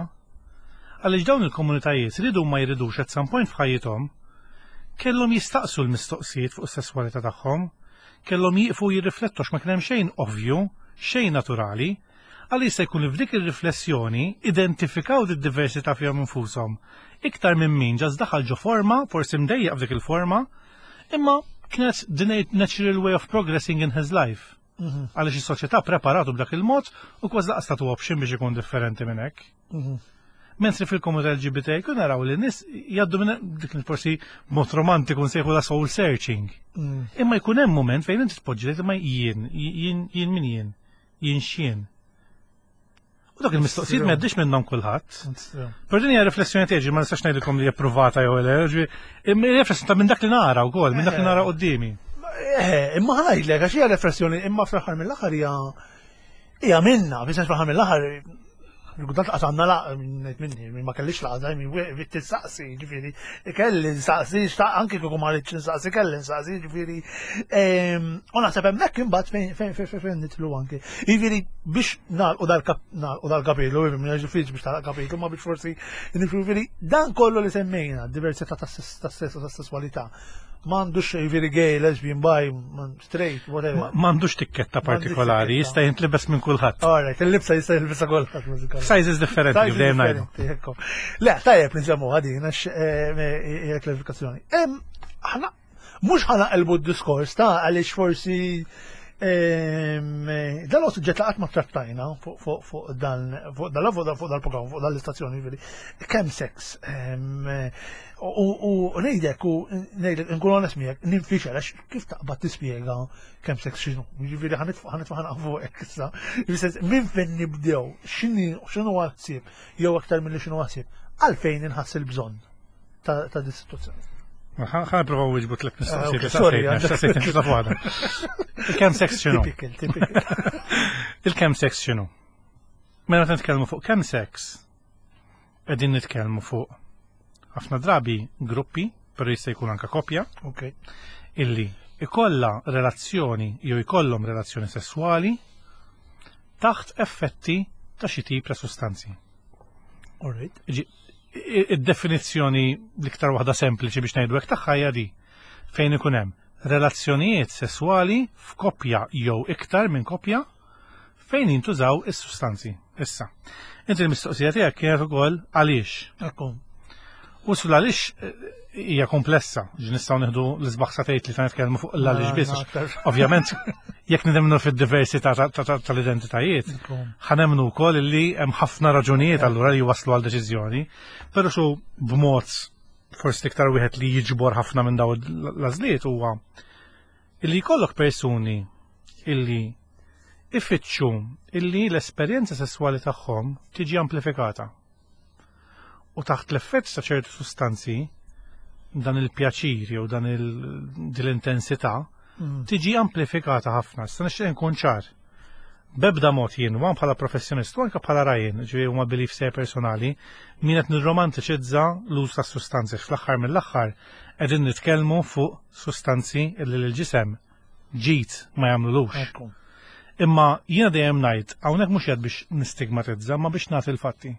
Għaliex dawn il-komunitajiet ridu ma jridux at some point f'ħajjithom kellhom jistaqsu l-mistoqsijiet fuq is-sesswalità tagħhom, kellhom jieqfu jirriflettu għax ma kien hemm xejn ovvju, xejn naturali, għal jista' jkun li f'dik ir-riflessjoni identifikaw d-diversità fihom infushom. Iktar minn min ġas daħal ġo forma, forsi mdejjaq f'dik il-forma, imma kienet the natural way of progressing in his life. Mhm. Għaliex is-soċjetà preparatu b'dak il-mod u kważi laqas tagħtu option biex ikun differenti minn hekk. Mhm. Mentri fil-komunità LGBT jkun naraw li nies jgħaddu minn dik li forsi mod romantiku nsejħu la soul searching. Mm. Imma jkun hemm moment fejn inti tpoġġi li imma jien, jien, jien min jien, jien x'jien. U dak il-mistoqsijiet ma jgħaddix minnhom kulħadd. Però din hija riflessjoni tiegħi ma nistax ngħidilkom li hija ppruvata jew le, imma hija riflessjoni ta' minn dak li nara wkoll, minn dak li nara eh. quddiemi. Eh, imma ħajdlek għax hija riflessjoni imma fl-aħħar mill-aħħar hija hija minna, fis fl-aħħar mill-aħħar Kultant qas għandna laq minni, ma kellix laqgħa, min tissaqsi, ġifieri, kelli nsaqsi, anki kieku ma rridx nsaqsi, kelli nsaqsi, ġifieri. Ehm, u naħseb hemmhekk imbagħad fejn fejn fejn nitlu anki. Jiġifieri biex nagħlqu dal-kapitlu, minn ġifieri biex tagħlaq kapitlu, ma biex forsi jiġifieri dan kollu li semmejna, diversità tas-sess u tas-sesswalità m'għandux jiġifieri gay, lesbian, bi, straight, whatever. M'għandux tikketta partikolari, jista' jintlibes minn kulħadd. Alright, il-libsa jista' jilbisha kulħadd. Sizes differenti kif dejjem ngħidu. Le, tajjeb nsemmu għadin għax eh, hija klarifikazzjoni. Aħna mhux ħana qelbu d-diskors ta' għaliex forsi dan huwa suġġett li qatt ma trattajna fuq dan fuq dan fuq dal-programm fuq dal-istazzjoni ġifieri kemm seks u ngħidlek u ngħidlek nkun onest miegħek ninfixel għax kif taqbad tispjega kemm seks x'inhu. Jiġifieri ħanitfa' ħanitfa' ħanaq fuqek issa. Minn fejn nibdew x'inhu ħsieb jew aktar milli x'inhu ħsieb għalfejn inħass il-bżonn ta' di situazzjoni. Ħa nipprova wieġbu tliet mistoqsijiet. Ah, sorry, waħda. Il-kemm sex x'inhu? Typical, typical. Il-kemm sex x'inhu? Mela nitkellmu fuq kemm sex, qegħdin nitkellmu fuq ħafna drabi gruppi, però jista' jkun anka koppja, illi ikolla relazzjoni jew ikollhom relazzjoni sesswali taħt effetti ta' xi tip ta' sustanzi. Alright. Id-definizzjoni l-iktar waħda sempliċi biex ngħidu hekk tagħha hija di fejn ikun hemm relazzjonijiet sesswali f'koppja jew iktar minn koppja. fejn jintużaw is-sustanzi. Issa, inti l-mistoqsija tiegħek kienet ukoll għaliex. Ekku. U sul għaliex eh, hija komplessa, ġi nistgħu nieħdu l-isbaħ satejt li ta' nitkellmu fuq l-għaliex biss. Ovvjament, jekk nidemnu fid-diversità tal-identitajiet, ħanemnu wkoll li hemm ħafna raġunijiet allura li waslu għal deċiżjoni, però xu b'mod forsi iktar wieħed li jiġbor ħafna minn daw l-għażliet huwa illi jkollok persuni illi ifittxu illi l-esperjenza sesswali tagħhom tiġi amplifikata. U taħt l-effett ta' ċertu sustanzi, dan il-pjaċir jew dan l-intensità mm. tiġi amplifikata ħafna. Issa nixtieq nkun ċar. Bebda mod jien, wan bħala professjonist, u anke bħala rajn, ġifieri huma belief se personali, min qed nirromantiċizza l-uż ta' sustanzi fl-aħħar mill-aħħar qegħdin nitkellmu fuq sustanzi li l-ġisem ġid ma jagħmlulux. Imma jiena dejjem ngħid hawnhekk mhux qed biex nistigmatizza, ma biex nagħti l-fatti.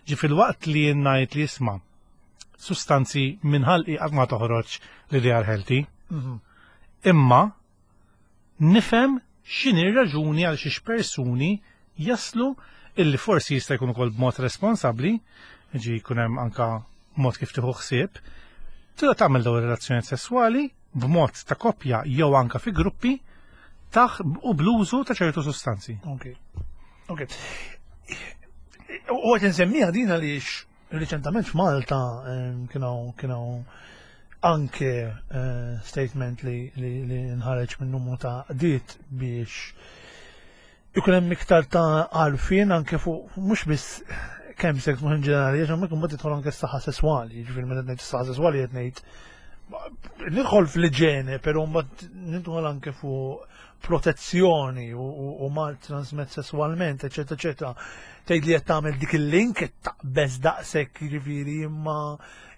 Ġi fil-waqt li jien ngħid li isma' sustanzi minn ħalqi qatt ma toħroġ li they are healthy. Mhm. Imma nifhem x'inhi r-raġuni għal xiex persuni jaslu illi forsi jista' jkun ukoll b'mod responsabbli, ġi jkun hemm anka mod kif tieħu ħsieb, tibda tagħmel dawn ir-relazzjonijiet sesswali b'mod ta' koppja jew anka fi gruppi taħ u bl-użu ta' ċertu sustanzi. Ok. Ok. U għet nsemmiha din għaliex riċentament f'Malta kienu kienu anke eh, statement li, li, li nħareġ minn numru ta' qdiet biex ikun hemm iktar ta' għarfien anke fuq mhux biss kemm sex mhux in ġenerali, għax hemmhekk imbagħad tidħol anke s-saħħa sesswali, jiġifieri meta ngħid s-saħħa sesswali qed ngħid nidħol fl-iġene, però mbagħad nidħol anke fuq protezzjoni u mal transmet sesswalment, eċetera, eċetera. Tgħid li qed tagħmel dik il-link qed taqbeż daqshekk jiġifieri imma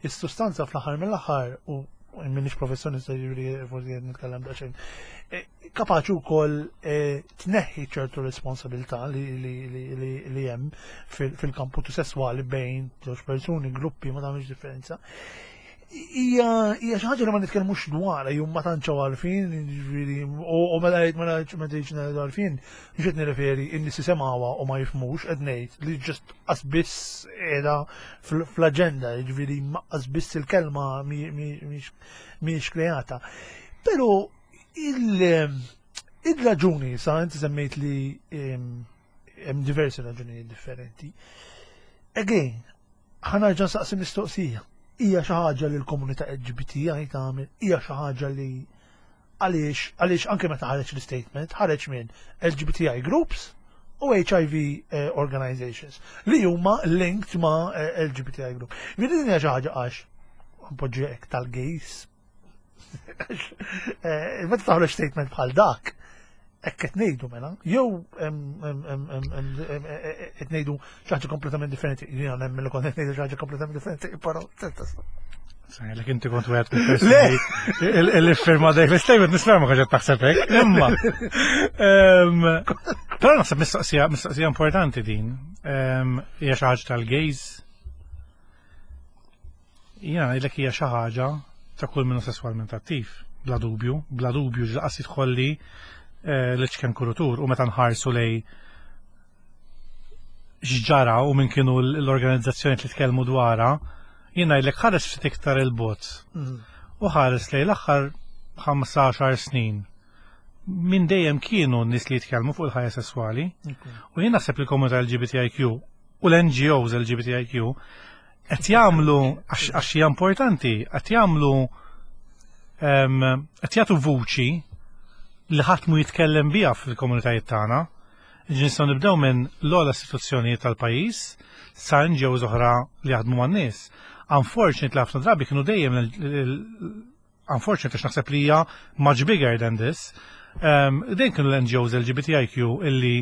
is-sustanza fl-aħħar mill-aħħar u minix professjonista jiġifieri forsi qed nitkellem daqsxejn. E, kapaċi wkoll eh, tneħħi ċertu responsabilità li hemm fil-kampu sesswali bejn żewġ persuni, gruppi, ma tagħmilx differenza. Hija xi ħaġa li ma nitkellmux dwarha jew ma tantx għarfien, jiġifieri, u meta ngħid meta ngħid għarfien, mhux qed nirreferi in-nies jisimgħuha u ma jifhmux, qed ngħid li ġust biss qiegħda fl-aġenda, jiġifieri biss il-kelma mhijiex kreata. Però Il-raġuni, sa inti semmejt li hemm diversi raġunijiet differenti. Again, ħanarġa saqsi mistoqsija. Hija xi ħaġa li l-komunità LGBTI tagħmel, hija xi ħaġa li għaliex għaliex anke meta ħareġ l-statement, ħareġ minn LGBTI groups u HIV eh, organizations li huma linked ma' eh, LGBTI group. Vidi din hija xi ħaġa għax npoġġi hekk tal-gays Eh, meta taħroġ statement bħal dak, hekk qed ngħidu mela, jew qed ngħidu xi ħaġa kompletament differenti. Jiena nemmen li kont qed ngħidu xi ħaġa kompletament differenti, però Sajlek inti kont wieħed mill-persuni li firma dak l-statement nisma' ma kontx taħseb hekk. Imma. Però naħseb mistoqsija mistoqsija importanti din. Hija xi ħaġa tal-gays Jiena ngħidlek hija xi ħaġa ta' kull min hu sesswalment attiv, bla dubju, bla dubju ġlaqas jidħolli eh, l-ċken kurutur u meta nħarsu lej x'ġara u minn kienu l-organizzazzjoni li tkellmu dwarha, jien ngħidlek ħares ftit iktar il-bot. Mm. U ħares lej l-aħħar 15 snin minn dejjem kienu n-nies li jitkellmu fuq il-ħajja sesswali. U jien naħseb li l-komunità LGBTIQ u l-NGOs LGBTIQ qed jagħmlu għax hija importanti, qed jagħmlu qed jagħtu vuċi li ħadd mu jitkellem biha fil-komunitajiet tagħna. Nistgħu nibdew minn l-ogħla istituzzjonijiet tal-pajjiż sa NGOs oħra li jaħdmu man-nies. Unfortunately ħafna drabi kienu dejjem unfortunately għax naħseb li hija much bigger than this. Dejjem kienu l-NGOs LGBTIQ illi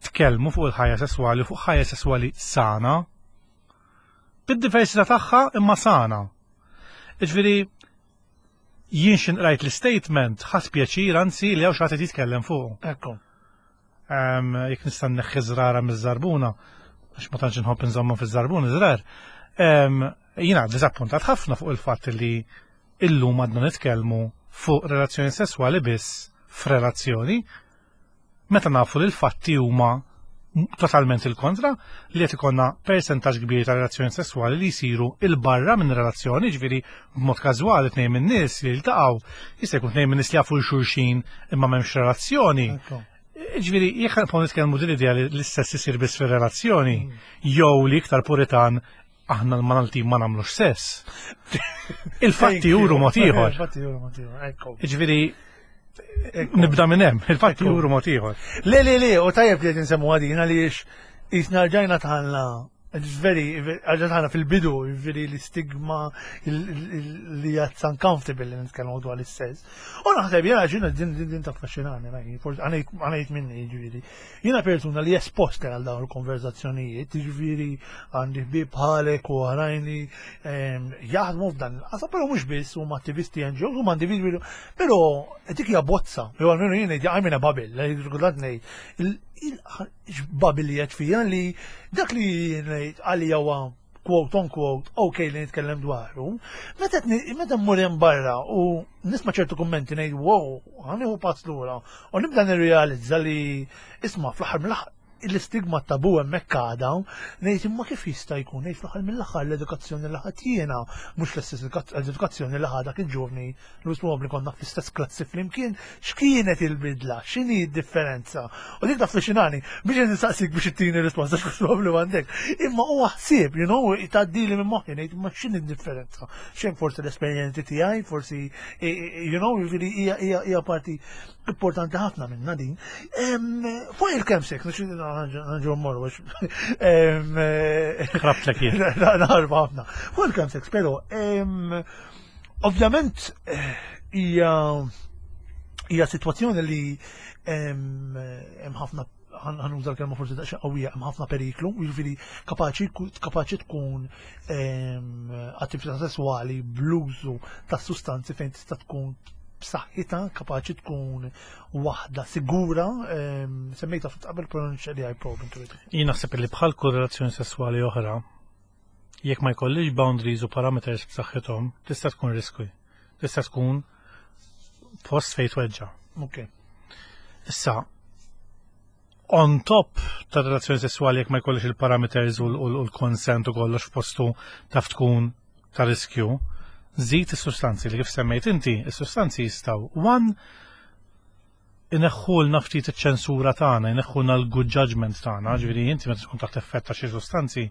tkellmu fuq il-ħajja sesswali, fuq ħajja sesswali sana. Bid-diversità tagħha imma sana. Iġifieri jien x'in qrajt l-statement ħadd pjaċir anzi li hawn xi ħadd jitkellem fuq. Ekku. Jekk nista' nneħħi żrara miż-żarbuna, għax ma tantx inħobb inżommu fiż-żarbun iżrar. Jiena diżappuntat ħafna fuq il-fatt li illum għadna nitkellmu fuq relazzjoni sesswali biss f'relazzjoni. Meta nafu li l-fatti huma totalment il-kontra, li qed ikollna persentaġġ kbir ta' relazzjoni sesswali li jsiru 'il barra minn relazzjoni, ġifieri b'mod każwali tnejn minn nies li jiltaqgħu, jista' jkun tnejn minn nies li jafu xulxin imma m'hemmx relazzjoni. Ġifieri, jekk ħa nitkellmu din l-idea li l-istess isir biss fir-relazzjoni, jew li iktar puritan aħna l-Maltin ma nagħmlux sess. Il-fatti juru mod ieħor. Il-fatti juru mod ieħor, ekku. Ġifieri nibda minn hemm, il-fatti juru mod ieħor. Le, le, le, u tajjeb li qed insemmu għadin għaliex jisna rġajna tħallna. It's very, għaxa tħana fil-bidu, veri l-istigma li għad uncomfortable li nitkellmu dwar l-istess. U naħseb jena ġina din din din taffaxxinani, forsi għanajt minni ġifieri. Jiena persuna li espost għal dawn il-konverzazzjonijiet, jiġifieri għandi ħbieb bħalek u oħrajn li jaħdmu f'dan il-qasam, però mhux biss huma attivisti NGOs, huma individwi, però dik hija bozza, jew almenu jien ngħid I'm in a bubble, kultant ngħid il-bubble li qed fija li dak li ngħid għalija huwa quote on quote, ok li nitkellem dwaru, meta meta mmur hemm barra u nisma' ċertu kummenti ngħid wow, ħa nieħu pass lura u nibda nirrealizza li isma' fl-aħħar mill-aħħar l-istigma tabu hemmhekk għadha, ngħid imma kif jista' jkun ngħid fl-aħħar mill-aħħar l-edukazzjoni li ħadd jiena mhux l-istess edukazzjoni li ħa dak il-ġuvni li probabbli konna fl-istess klassi flimkien, x'kienet il-bidla, x'inhi d-differenza? U dik taffaxxinani, biex nistaqsik biex ittini risposta x'mhux probabbli m'għandek. Imma huwa ħsieb, you know, tgħaddili minn moħħi ngħid imma x'inhi d-differenza? Xejn forsi l-esperjenzi tiegħi, forsi you know, jiġifieri hija hija parti importanti ħafna minna din. Fuq il-chemsex, nġu mmorru biex. Ħrabtlek jien. Naħarba ħafna. Fuq il-chemsex, però ovvjament hija hija sitwazzjoni li hemm ħafna ħanuża l-kelma forsi daqsxejn qawwija, hemm ħafna periklu, jiġifieri kapaċi kapaċi tkun attività sesswali bl-użu ta' sustanzi fejn tista' tkun b'saħħitha, kapaċi tkun waħda sigura, semmejta ftit qabel però nixtieq li I probe into it. Jien naħseb li bħal kull relazzjoni sesswali oħra, jekk ma jkollix boundaries u parameters b'saħħithom, tista' tkun risky. Tista' tkun post fejn tweġġa'. Ok. Issa, on top ta' relazzjoni sessuali jekk ma jkollix il-parameters u l-consent u kollox f'postu taf tkun ta' riskju, żid is-sustanzi li kif semmejt inti, is-sustanzi jistgħu one ineħħulna ftit iċ-ċensura tagħna, ineħħulna l-good judgment tagħna, ġifieri inti meta tkun taħt effett ta' xi sustanzi,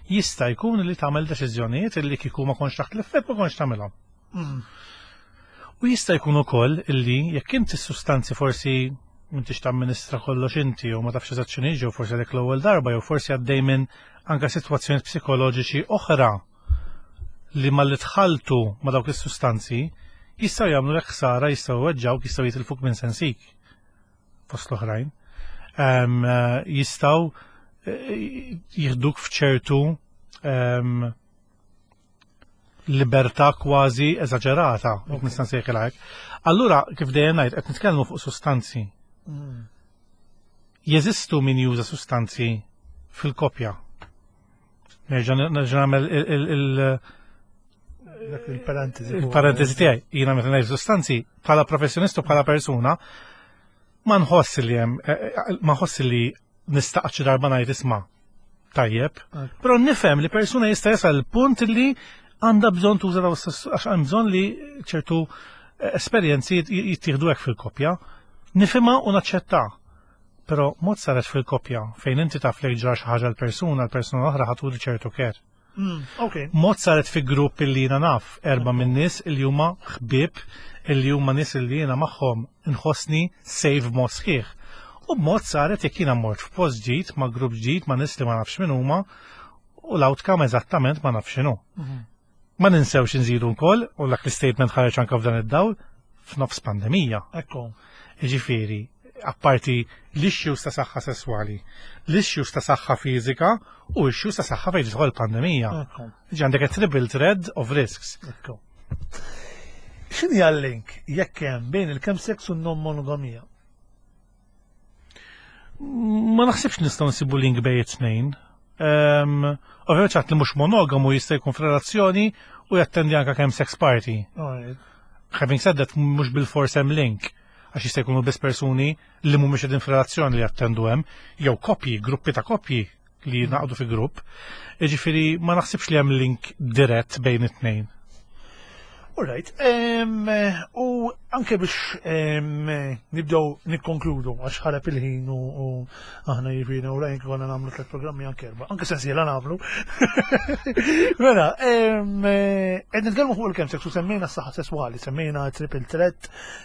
jista' jkun li tagħmel deċiżjonijiet illi kieku ma kontx taħt l-effett ma kontx tagħmilhom. U jista' jkun ukoll illi jekk inti s-sustanzi forsi m'intix tamministra kollox inti u ma tafx eżatt x'inhi jew forsi għalek l-ewwel darba jew forsi għaddej minn anke sitwazzjonijiet psikoloġiċi oħra li malli tħalltu ma' dawk is-sustanzi jistgħu jagħmlu ħsara, jistgħu jweġġgħuk, jistgħu jitilfuk minn sensik fost l-oħrajn. Jistgħu jieħduk f'ċertu libertà kważi eżaġerata, jekk nista' nsejħilha hekk. Allura, kif dejjem ngħid, qed nitkellmu fuq sustanzi. Jeżistu min juża sustanzi fil-kopja. Nerġa' nagħmel il-parentesi. Il-parentesi tiegħi, jiena meta ngħid sustanzi bħala professjonist u bħala persuna, ma nħoss li hemm ma nħoss li nista' xi darba ngħid isma' tajjeb, però nifhem li persuna jista' jasal il-punt li għandha bżonn tuża daw għax hemm bżonn li ċertu esperjenzi jittieħdu hekk fil-koppja. Nifhimha u naċċetta. Però mod saret fil-koppja fejn inti taf li ġara xi ħaġa l-persuna, l-persuna l-oħra ħa turi ċertu care. Mod saret fi grupp illi jiena naf erba' minn nies illi huma ħbieb, illi huma nies illi jiena magħhom nħossni safe b'mod sħiħ. U b'mod saret jekk jiena mort f'post ġdid ma' grupp ġdid ma' nies li ma nafx min huma u l-outcome eżattament ma nafx x'inhu. Ma ninsewx inżidu wkoll, u dak l-statement ħareġ anke f'dan id-dawl, f'nofs pandemija. Ekku. Jiġifieri, apparti l-issues ta' saħħa sesswali, l-issues ta' saħħa fiżika u issues ta' saħħa fejn tidħol pandemija. Ġi għandek a triple thread of risks. Ekku. X'inhi l-link jekk hemm bejn il-chemsex u n-non-monogamija? Ma naħsibx nistgħu nsibu link bejn it-tnejn. Ovvjament ċatt li mhux monogamu jista' jkun f'relazzjoni u jattendi anke chemsex party. Having said that, mhux bil-fors hemm link. Għax jista' jkunu biss persuni li mhumiex qegħdin f'relazzjoni li jattendu hemm, jew koppji, gruppi ta' koppji li naqdu fi grupp. Jiġifieri ma naħsibx li hemm link dirett bejn it-tnejn. Alright, u anke biex nibdew nikkonkludu għax ħarab il-ħin u aħna jiġifieri u rajn konna nagħmlu tliet programmi anke erba', anke sensiela nagħmlu. Mela, qed nitkellmu fuq il-chemsex u semmejna s-saħħa sesswali, semmejna triple threat,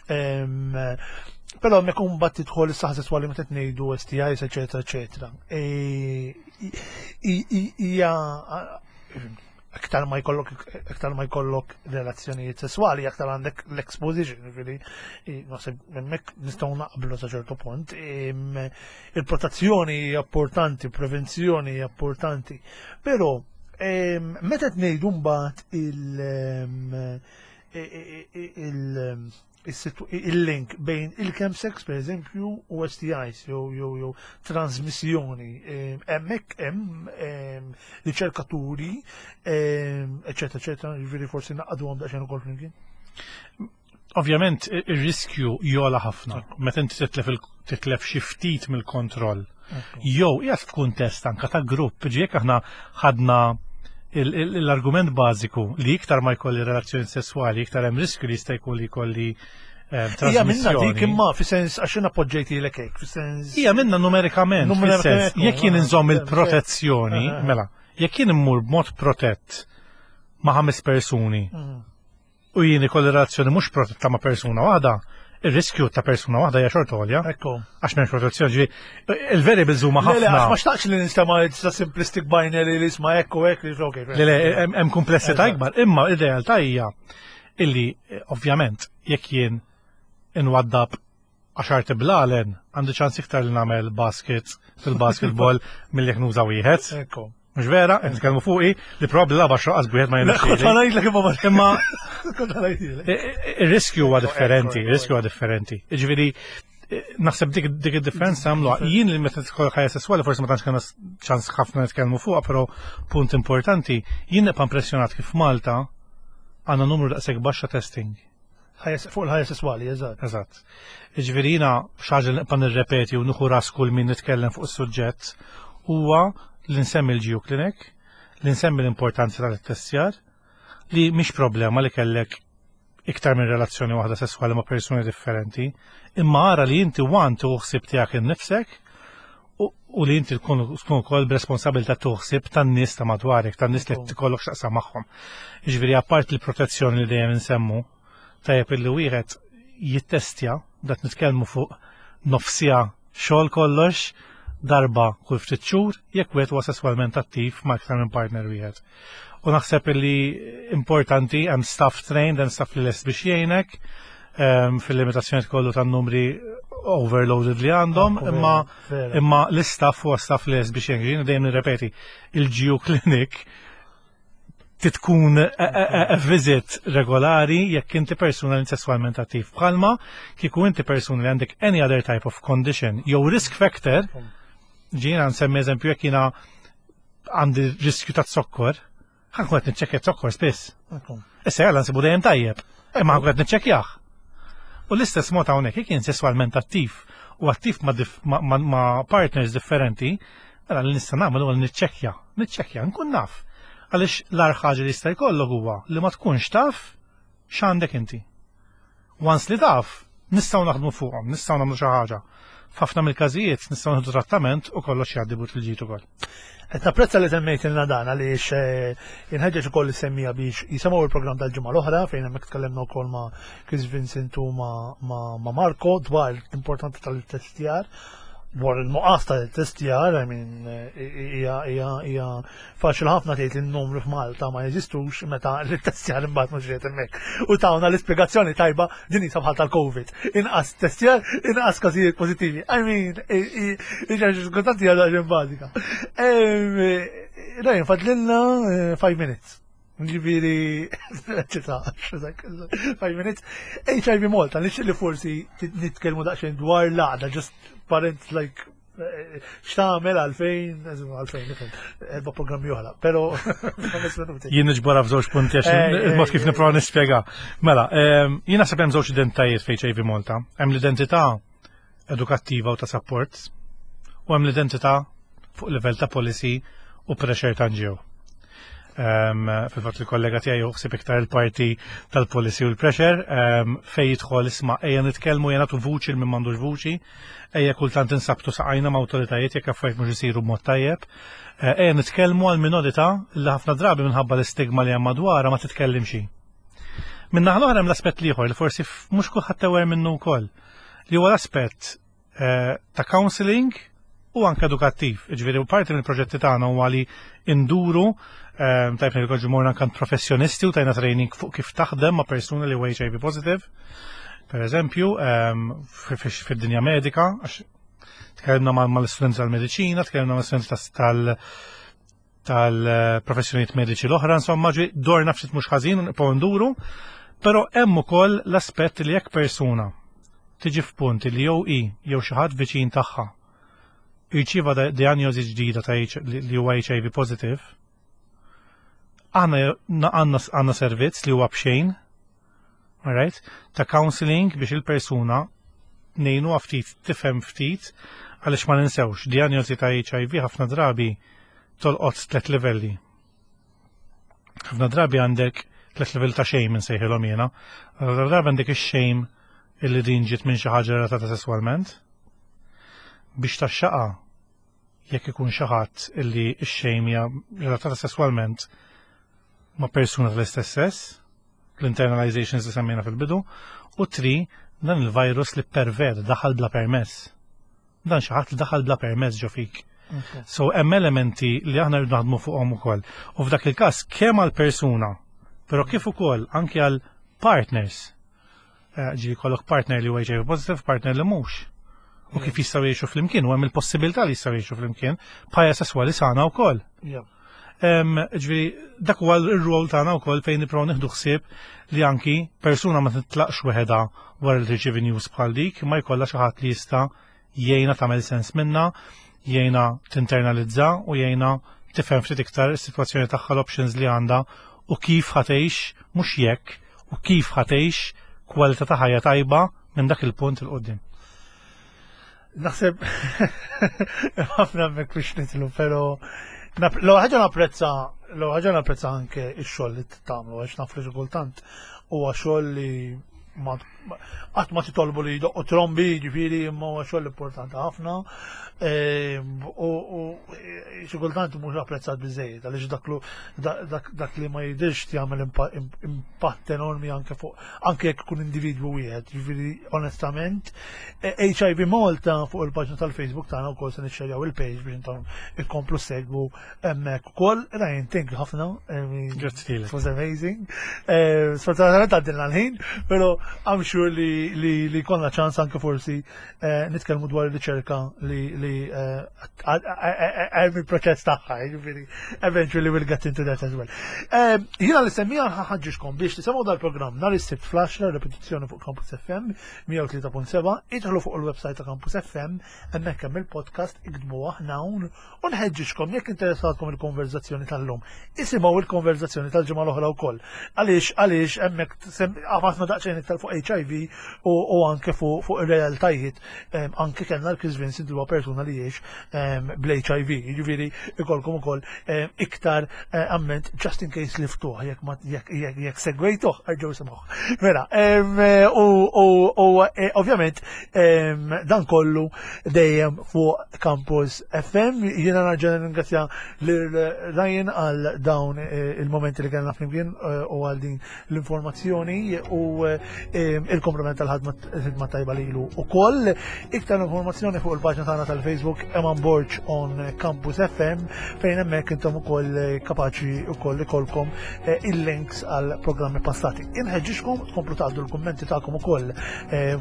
però hemmhekk imbagħad tidħol is-saħħa sesswali meta qed ngħidu STIs, eċetera, eċetera. Hija aktar ma jkollok aktar ma jkollok relazzjonijiet sesswali, aktar għandek l-exposition, jiġifieri naħseb hemmhekk nistgħu naqblu sa ċertu punt. Il-protezzjoni hija importanti, prevenzjoni hija importanti, però meta qed ngħidu mbagħad il- il il-link bejn il-chemsex per eżempju u STIs jew jew jew transmissjoni. Hemmhekk hemm riċerkaturi, eċetera, eċetera, jiġifieri forsi naqduhom daqsxejn ukoll flimkien. Ovvjament ir-riskju jola ħafna meta inti titlef titlef xi ftit mill-kontroll. Jew qiegħed f'kuntest anka ta' grupp, ġi jekk aħna ħadna l-argument bażiku li iktar ma jkolli relazzjoni sesswali, iktar hemm riskju li jista' jkun li jkolli Hija minna dik imma fi sens għax jiena poġġejtilek hekk, fi sens. Hija minna numerikament, fis-sens jekk jien inżomm il-protezzjoni, mela, jekk jien immur b'mod protett ma' ħames persuni u jien ikolli relazzjoni mhux protetta ma' persuna waħda, ir-riskju ta' persuna waħda hija xorta għolja. Ekku. Għax m'hemmx protezzjoni, ġifieri il-variables huma Le, le, ħafna. għax ma xtaqx li nistema' it's a simplistic binary li isma' hekk u hekk li okay. Le, le, hemm kumplessità ikbar, imma ir-realtà hija illi ovvjament jekk jien inwaddab għaxar tiblalen għandi ċans iktar li nagħmel basket fil-basketball milli jekk nuża wieħed. Ekku. Mhux vera, qed nitkellmu fuqi li probabbli lagħba xoqqas b'wieħed ma Le, kont jirnexxieli. ngħidlek imma ma Imma kont ngħidlek. ir-riskju huwa differenti, Ekku, ekku, ir-riskju huwa differenti. Jiġifieri naħseb dik dik id-differenza għamluha. Jien li meta tidħol ħajja sesswali forsi ma tantx kellna ċans ħafna nitkellmu fuqha, però punt importanti, jien nibqa' impressjonat kif Malta għandna numru daqshekk baxxa testing. Ħajja fuq il-ħajja sesswali, eżatt. Eżatt. Jiġifieri jiena xi ħaġa li nibqa' nirrepeti u nieħu ras kull min nitkellem fuq is-suġġett huwa li nsemmi l-GU Clinic, li nsemmi l-importanza tal-ittestjar, li mhix problema li kellek iktar minn relazzjoni waħda sesswali ma' persuni differenti, imma ara li inti wan tieħu ħsieb tiegħek innifsek u li inti tkun ukoll b'responsabilità tieħu ħsieb tan-nies ta' madwarek, tan-nies li tikollok x'taqsam magħhom. Jiġifieri apart il-protezzjoni li dejjem insemmu, tajjeb illi wieħed jittestja, dat nitkellmu fuq nofsija xogħol kollox, darba kull ftit xhur jekk wieħed huwa sesswalment attiv ma' iktar minn partner wieħed. U naħseb illi importanti hemm staff trained, hemm staff li lest biex jgħinek fil-limitazzjoni kollu tan-numri overloaded li għandhom, Ekku, imma vera, vera. imma l-istaff huwa staff li lest biex jgħinek. Jiena dejjem nirrepeti, il-GU Clinic titkun a visit regolari jekk inti persuna li sesswalment attiv. Bħalma kieku inti persuna li għandek any other type of condition jew risk factor, ġiena nsemmi eżempju jekk jiena għandi riskju ta' zokkor, ħa nkun qed niċċekkja zokkor spiss. Ekku. Issa jalla nsibu dejjem tajjeb, imma ħa nkun qed niċċekkjah. U l-istess mod hawnhekk jekk jien sesswalment attiv u attiv ma', dif, ma, ma, ma partners differenti, mela li nista' nagħmel huwa li niċċekkja, niċċekkja, nkun naf. Għaliex l-agħar ħaġa li jista' jkollok huwa li ma tkunx taf x'għandek inti. Once li taf, nistgħu naħdmu fuqhom, nistgħu nagħmlu xi ħaġa. F'ħafna mill-każijiet nistgħu nieħdu trattament u kollox jgħaddi but il-ġid ukoll. Qed napprezza li semmejtilna dan għaliex inħeġġeġ ukoll is-semmija biex jisimgħu il-programm tal-ġimgħa l-oħra fejn hemmhekk tkellimna wkoll ma' Chris Vincent u ma', ma, ma Marco dwar l-importanza tal-testjar dwar il-nuqqas tal-testjar, I mean, hija hija hija faċli ħafna tgħid li n-numru f'Malta ma jeżistux meta l-testjar imbagħad mhux qiegħed hemmhekk. U tawna l-ispjegazzjoni tajba din hi bħal tal-Covid. Inqas testjar, inqas każijiet pożittivi. I mean, hija kultant hija daqsxejn bażika. Ryan, fadlilna 5 minutes. Ġifieri, ċita, 5 minutes. HIV Malta, nixtieq li forsi nitkellmu daqsxejn dwar l-għaqda, just parent like X'tagħmel għalfejn, għalfejn, nifhem, erba' programmi oħra, però ħames minuti. Jien niġbora f'żewġ punti għax il-mod kif nipprova nispjega. Mela, jien naħseb hemm żewġ identitajiet f'HIV Malta. Hemm l-identità edukattiva u ta' support u hemm l-identità fuq livell ta' policy u pressure ta' NGO. Fil-fatt il-kollega tiegħi joħsib iktar il-parti tal-policy u l-pressure fejn jidħol isma' ejja nitkellmu ejja nagħtu vuċi l min m'għandux vuċi, ejja kultant insabtu saqajna ma' awtoritajiet jekk affarijiet mhux isiru b'mod tajjeb. Eh, ejja nitkellmu għal minorità li ħafna drabi minħabba l-istigma li hemm madwarha ma titkellimx. Min-naħa l-oħra hemm l-aspett l-ieħor li forsi mhux kulħadd aware minnu wkoll, li huwa l-aspett eh, ta' counseling u anke edukattiv. Ġifieri parti mill-proġetti tagħna huwa li induru eh, tajb ngħidilkom morna anke professjonisti u tajna training fuq kif taħdem ma' persuna li huwa HIV positive. Per eżempju, ehm, fid-dinja medika, għax tkellimna mal-istudenti tal-mediċina, tkellimna mal-istudenti tal- tal-professjonijiet mediċi l-oħra, insomma, ġi dorna ftit mhux ħażin u nibqgħu nduru, però hemm ukoll l-aspett li jekk persuna tiġi f'punt li jew hi jew xi ħadd viċin tagħha jirċieva diagnosi ġdida ta' li huwa HIV positive, aħna għandna servizz li huwa b'xejn, alright, ta' counseling biex il-persuna ngħinuha ftit tifhem ftit għaliex ma ninsewx diagnosi ta' HIV ħafna drabi tolqot tlet livelli. Ħafna drabi għandek tlet livelli ta' shame insejħilhom jiena. Ħafna drabi għandek ix-shame illi din ġiet minn xi ħaġa relatata sesswalment. Biex taxxaqa jekk ikun xi ħadd illi x-shame hija relatata sesswalment ma' persuna tal-istess sess, l-internalizations li semmejna fil-bidu, u tri, dan il-virus li pervert daħal bla permess. Dan xi ħadd li daħal bla permess ġo fik. So hemm elementi li aħna rridu naħdmu fuqhom ukoll. U f'dak il-każ kemm għal persuna, però kif ukoll anke għal partners. Eh, ġi kollok partner li huwa HIV positive, partner li mhux. U kif jistgħu jgħixu flimkien, u hemm il-possibilità li jistgħu jgħixu flimkien bħajja sesswali sana wkoll. Ġifieri dak huwa r-rol tagħna wkoll fejn nipprovaw nieħdu ħsieb li anki persuna ma titlaqx weħedha wara li tirċievi news bħal dik, ma jkollha xi ħadd li jista' jgħinha tagħmel sens minnha, jgħinha tinternalizza u jgħinha tifhem ftit iktar is-sitwazzjoni tagħha l-options li għandha u kif ħa tgħix mhux jekk u kif ħa tgħix kwalità ta' ħajja tajba minn dak il-punt 'il quddiem. Naħseb ħafna hemmhekk biex nitlu, però l ħaġa napprezza l ħaġa napprezza anke x-xogħol li tagħmlu għax naf li xi kultant huwa xogħol li qatt ma titolbu li jdoqqu trombi, ġifieri imma huwa xogħol importanti ħafna. Ehm, u xi kultant mhux apprezzat biżejjed għaliex dak li ma jidhirx jagħmel impatt enormi anke fuq anke jekk ikun individwu wieħed. Ġifieri onestament, HIV e, Malta fuq il-paġna tal-Facebook tagħna wkoll se nixxerjaw il-page biex intom ikomplu segwu hemmhekk ukoll. Ryan, thank you ħafna. Grazzi It was amazing. Eh, sfortunatament għaddilna l-ħin, però I'm sure li, li, li konna ċans anke forsi eh, nitkellmu dwar ir-riċerka li li eh, hemm il-proċess tagħha, jiġifieri eventually we'll get into that as well. Jiena li semmija ħaġġixkom biex tisimgħu dal-programm nhar is-Sibt fl-10 repetizzjoni fuq Campus FM 103.7, idħlu fuq il-website ta' Campus FM, hemmhekk hemm il-podcast iktbu aħna hawn U nħeġġiġkom jekk interessatkom il-konverzazzjoni tal-lum, isimgħu il-konverzazzjoni tal-ġimgħa l-oħra wkoll. Għaliex għaliex hemmhekk għafatna daqsxejn iktar fuq HIV u, u anke fuq fu ir-realtajiet anke kellna l-Chris Vincent li huwa persuna li jgħix bl-HIV. Jiġifieri ikolkom ukoll iktar eh, amment just in case li ftuħ jekk ma jekk jekk segwejtuh erġgħu isimgħuh. Mela, u, u, u eh, ovvjament dan kollu dejjem fuq Campus FM. Jiena narġa' nirringrazzja lil Ryan għal dawn eh, il-momenti li kellna flimkien eh, u għal din l-informazzjoni u eh, il-komplement tal-ħadma tajba lilu ukoll. Iktar informazzjoni fuq il-paġna tagħna tal-Facebook Eman Borg on Campus FM fejn hemmhekk intom ukoll kapaċi ukoll ikolkom il-links għal programmi passati. Inħeġġixkom tkomplu tgħaddu l-kummenti tagħkom ukoll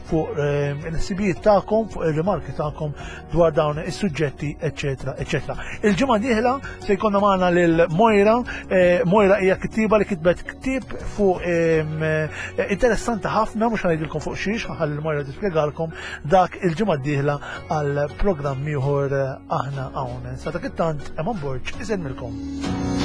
fuq il-ħsibijiet tagħkom, fuq ir-rimarki tagħkom dwar dawn is-suġġetti, eċetera, eċetera. Il-ġimgħa dieħla se jkollna magħna lil Moira, eh, Moira hija kittiba li kitbet ktieb fuq eh, interessanti Interessanti ħafna mhux ngħidilkom fuq xiex, ħalli l-Moira tispjegalkom dak il-ġimgħa d-dieħla għal programm ieħor aħna hawn. Sa dak it-tant Eman Borg isellmilkom.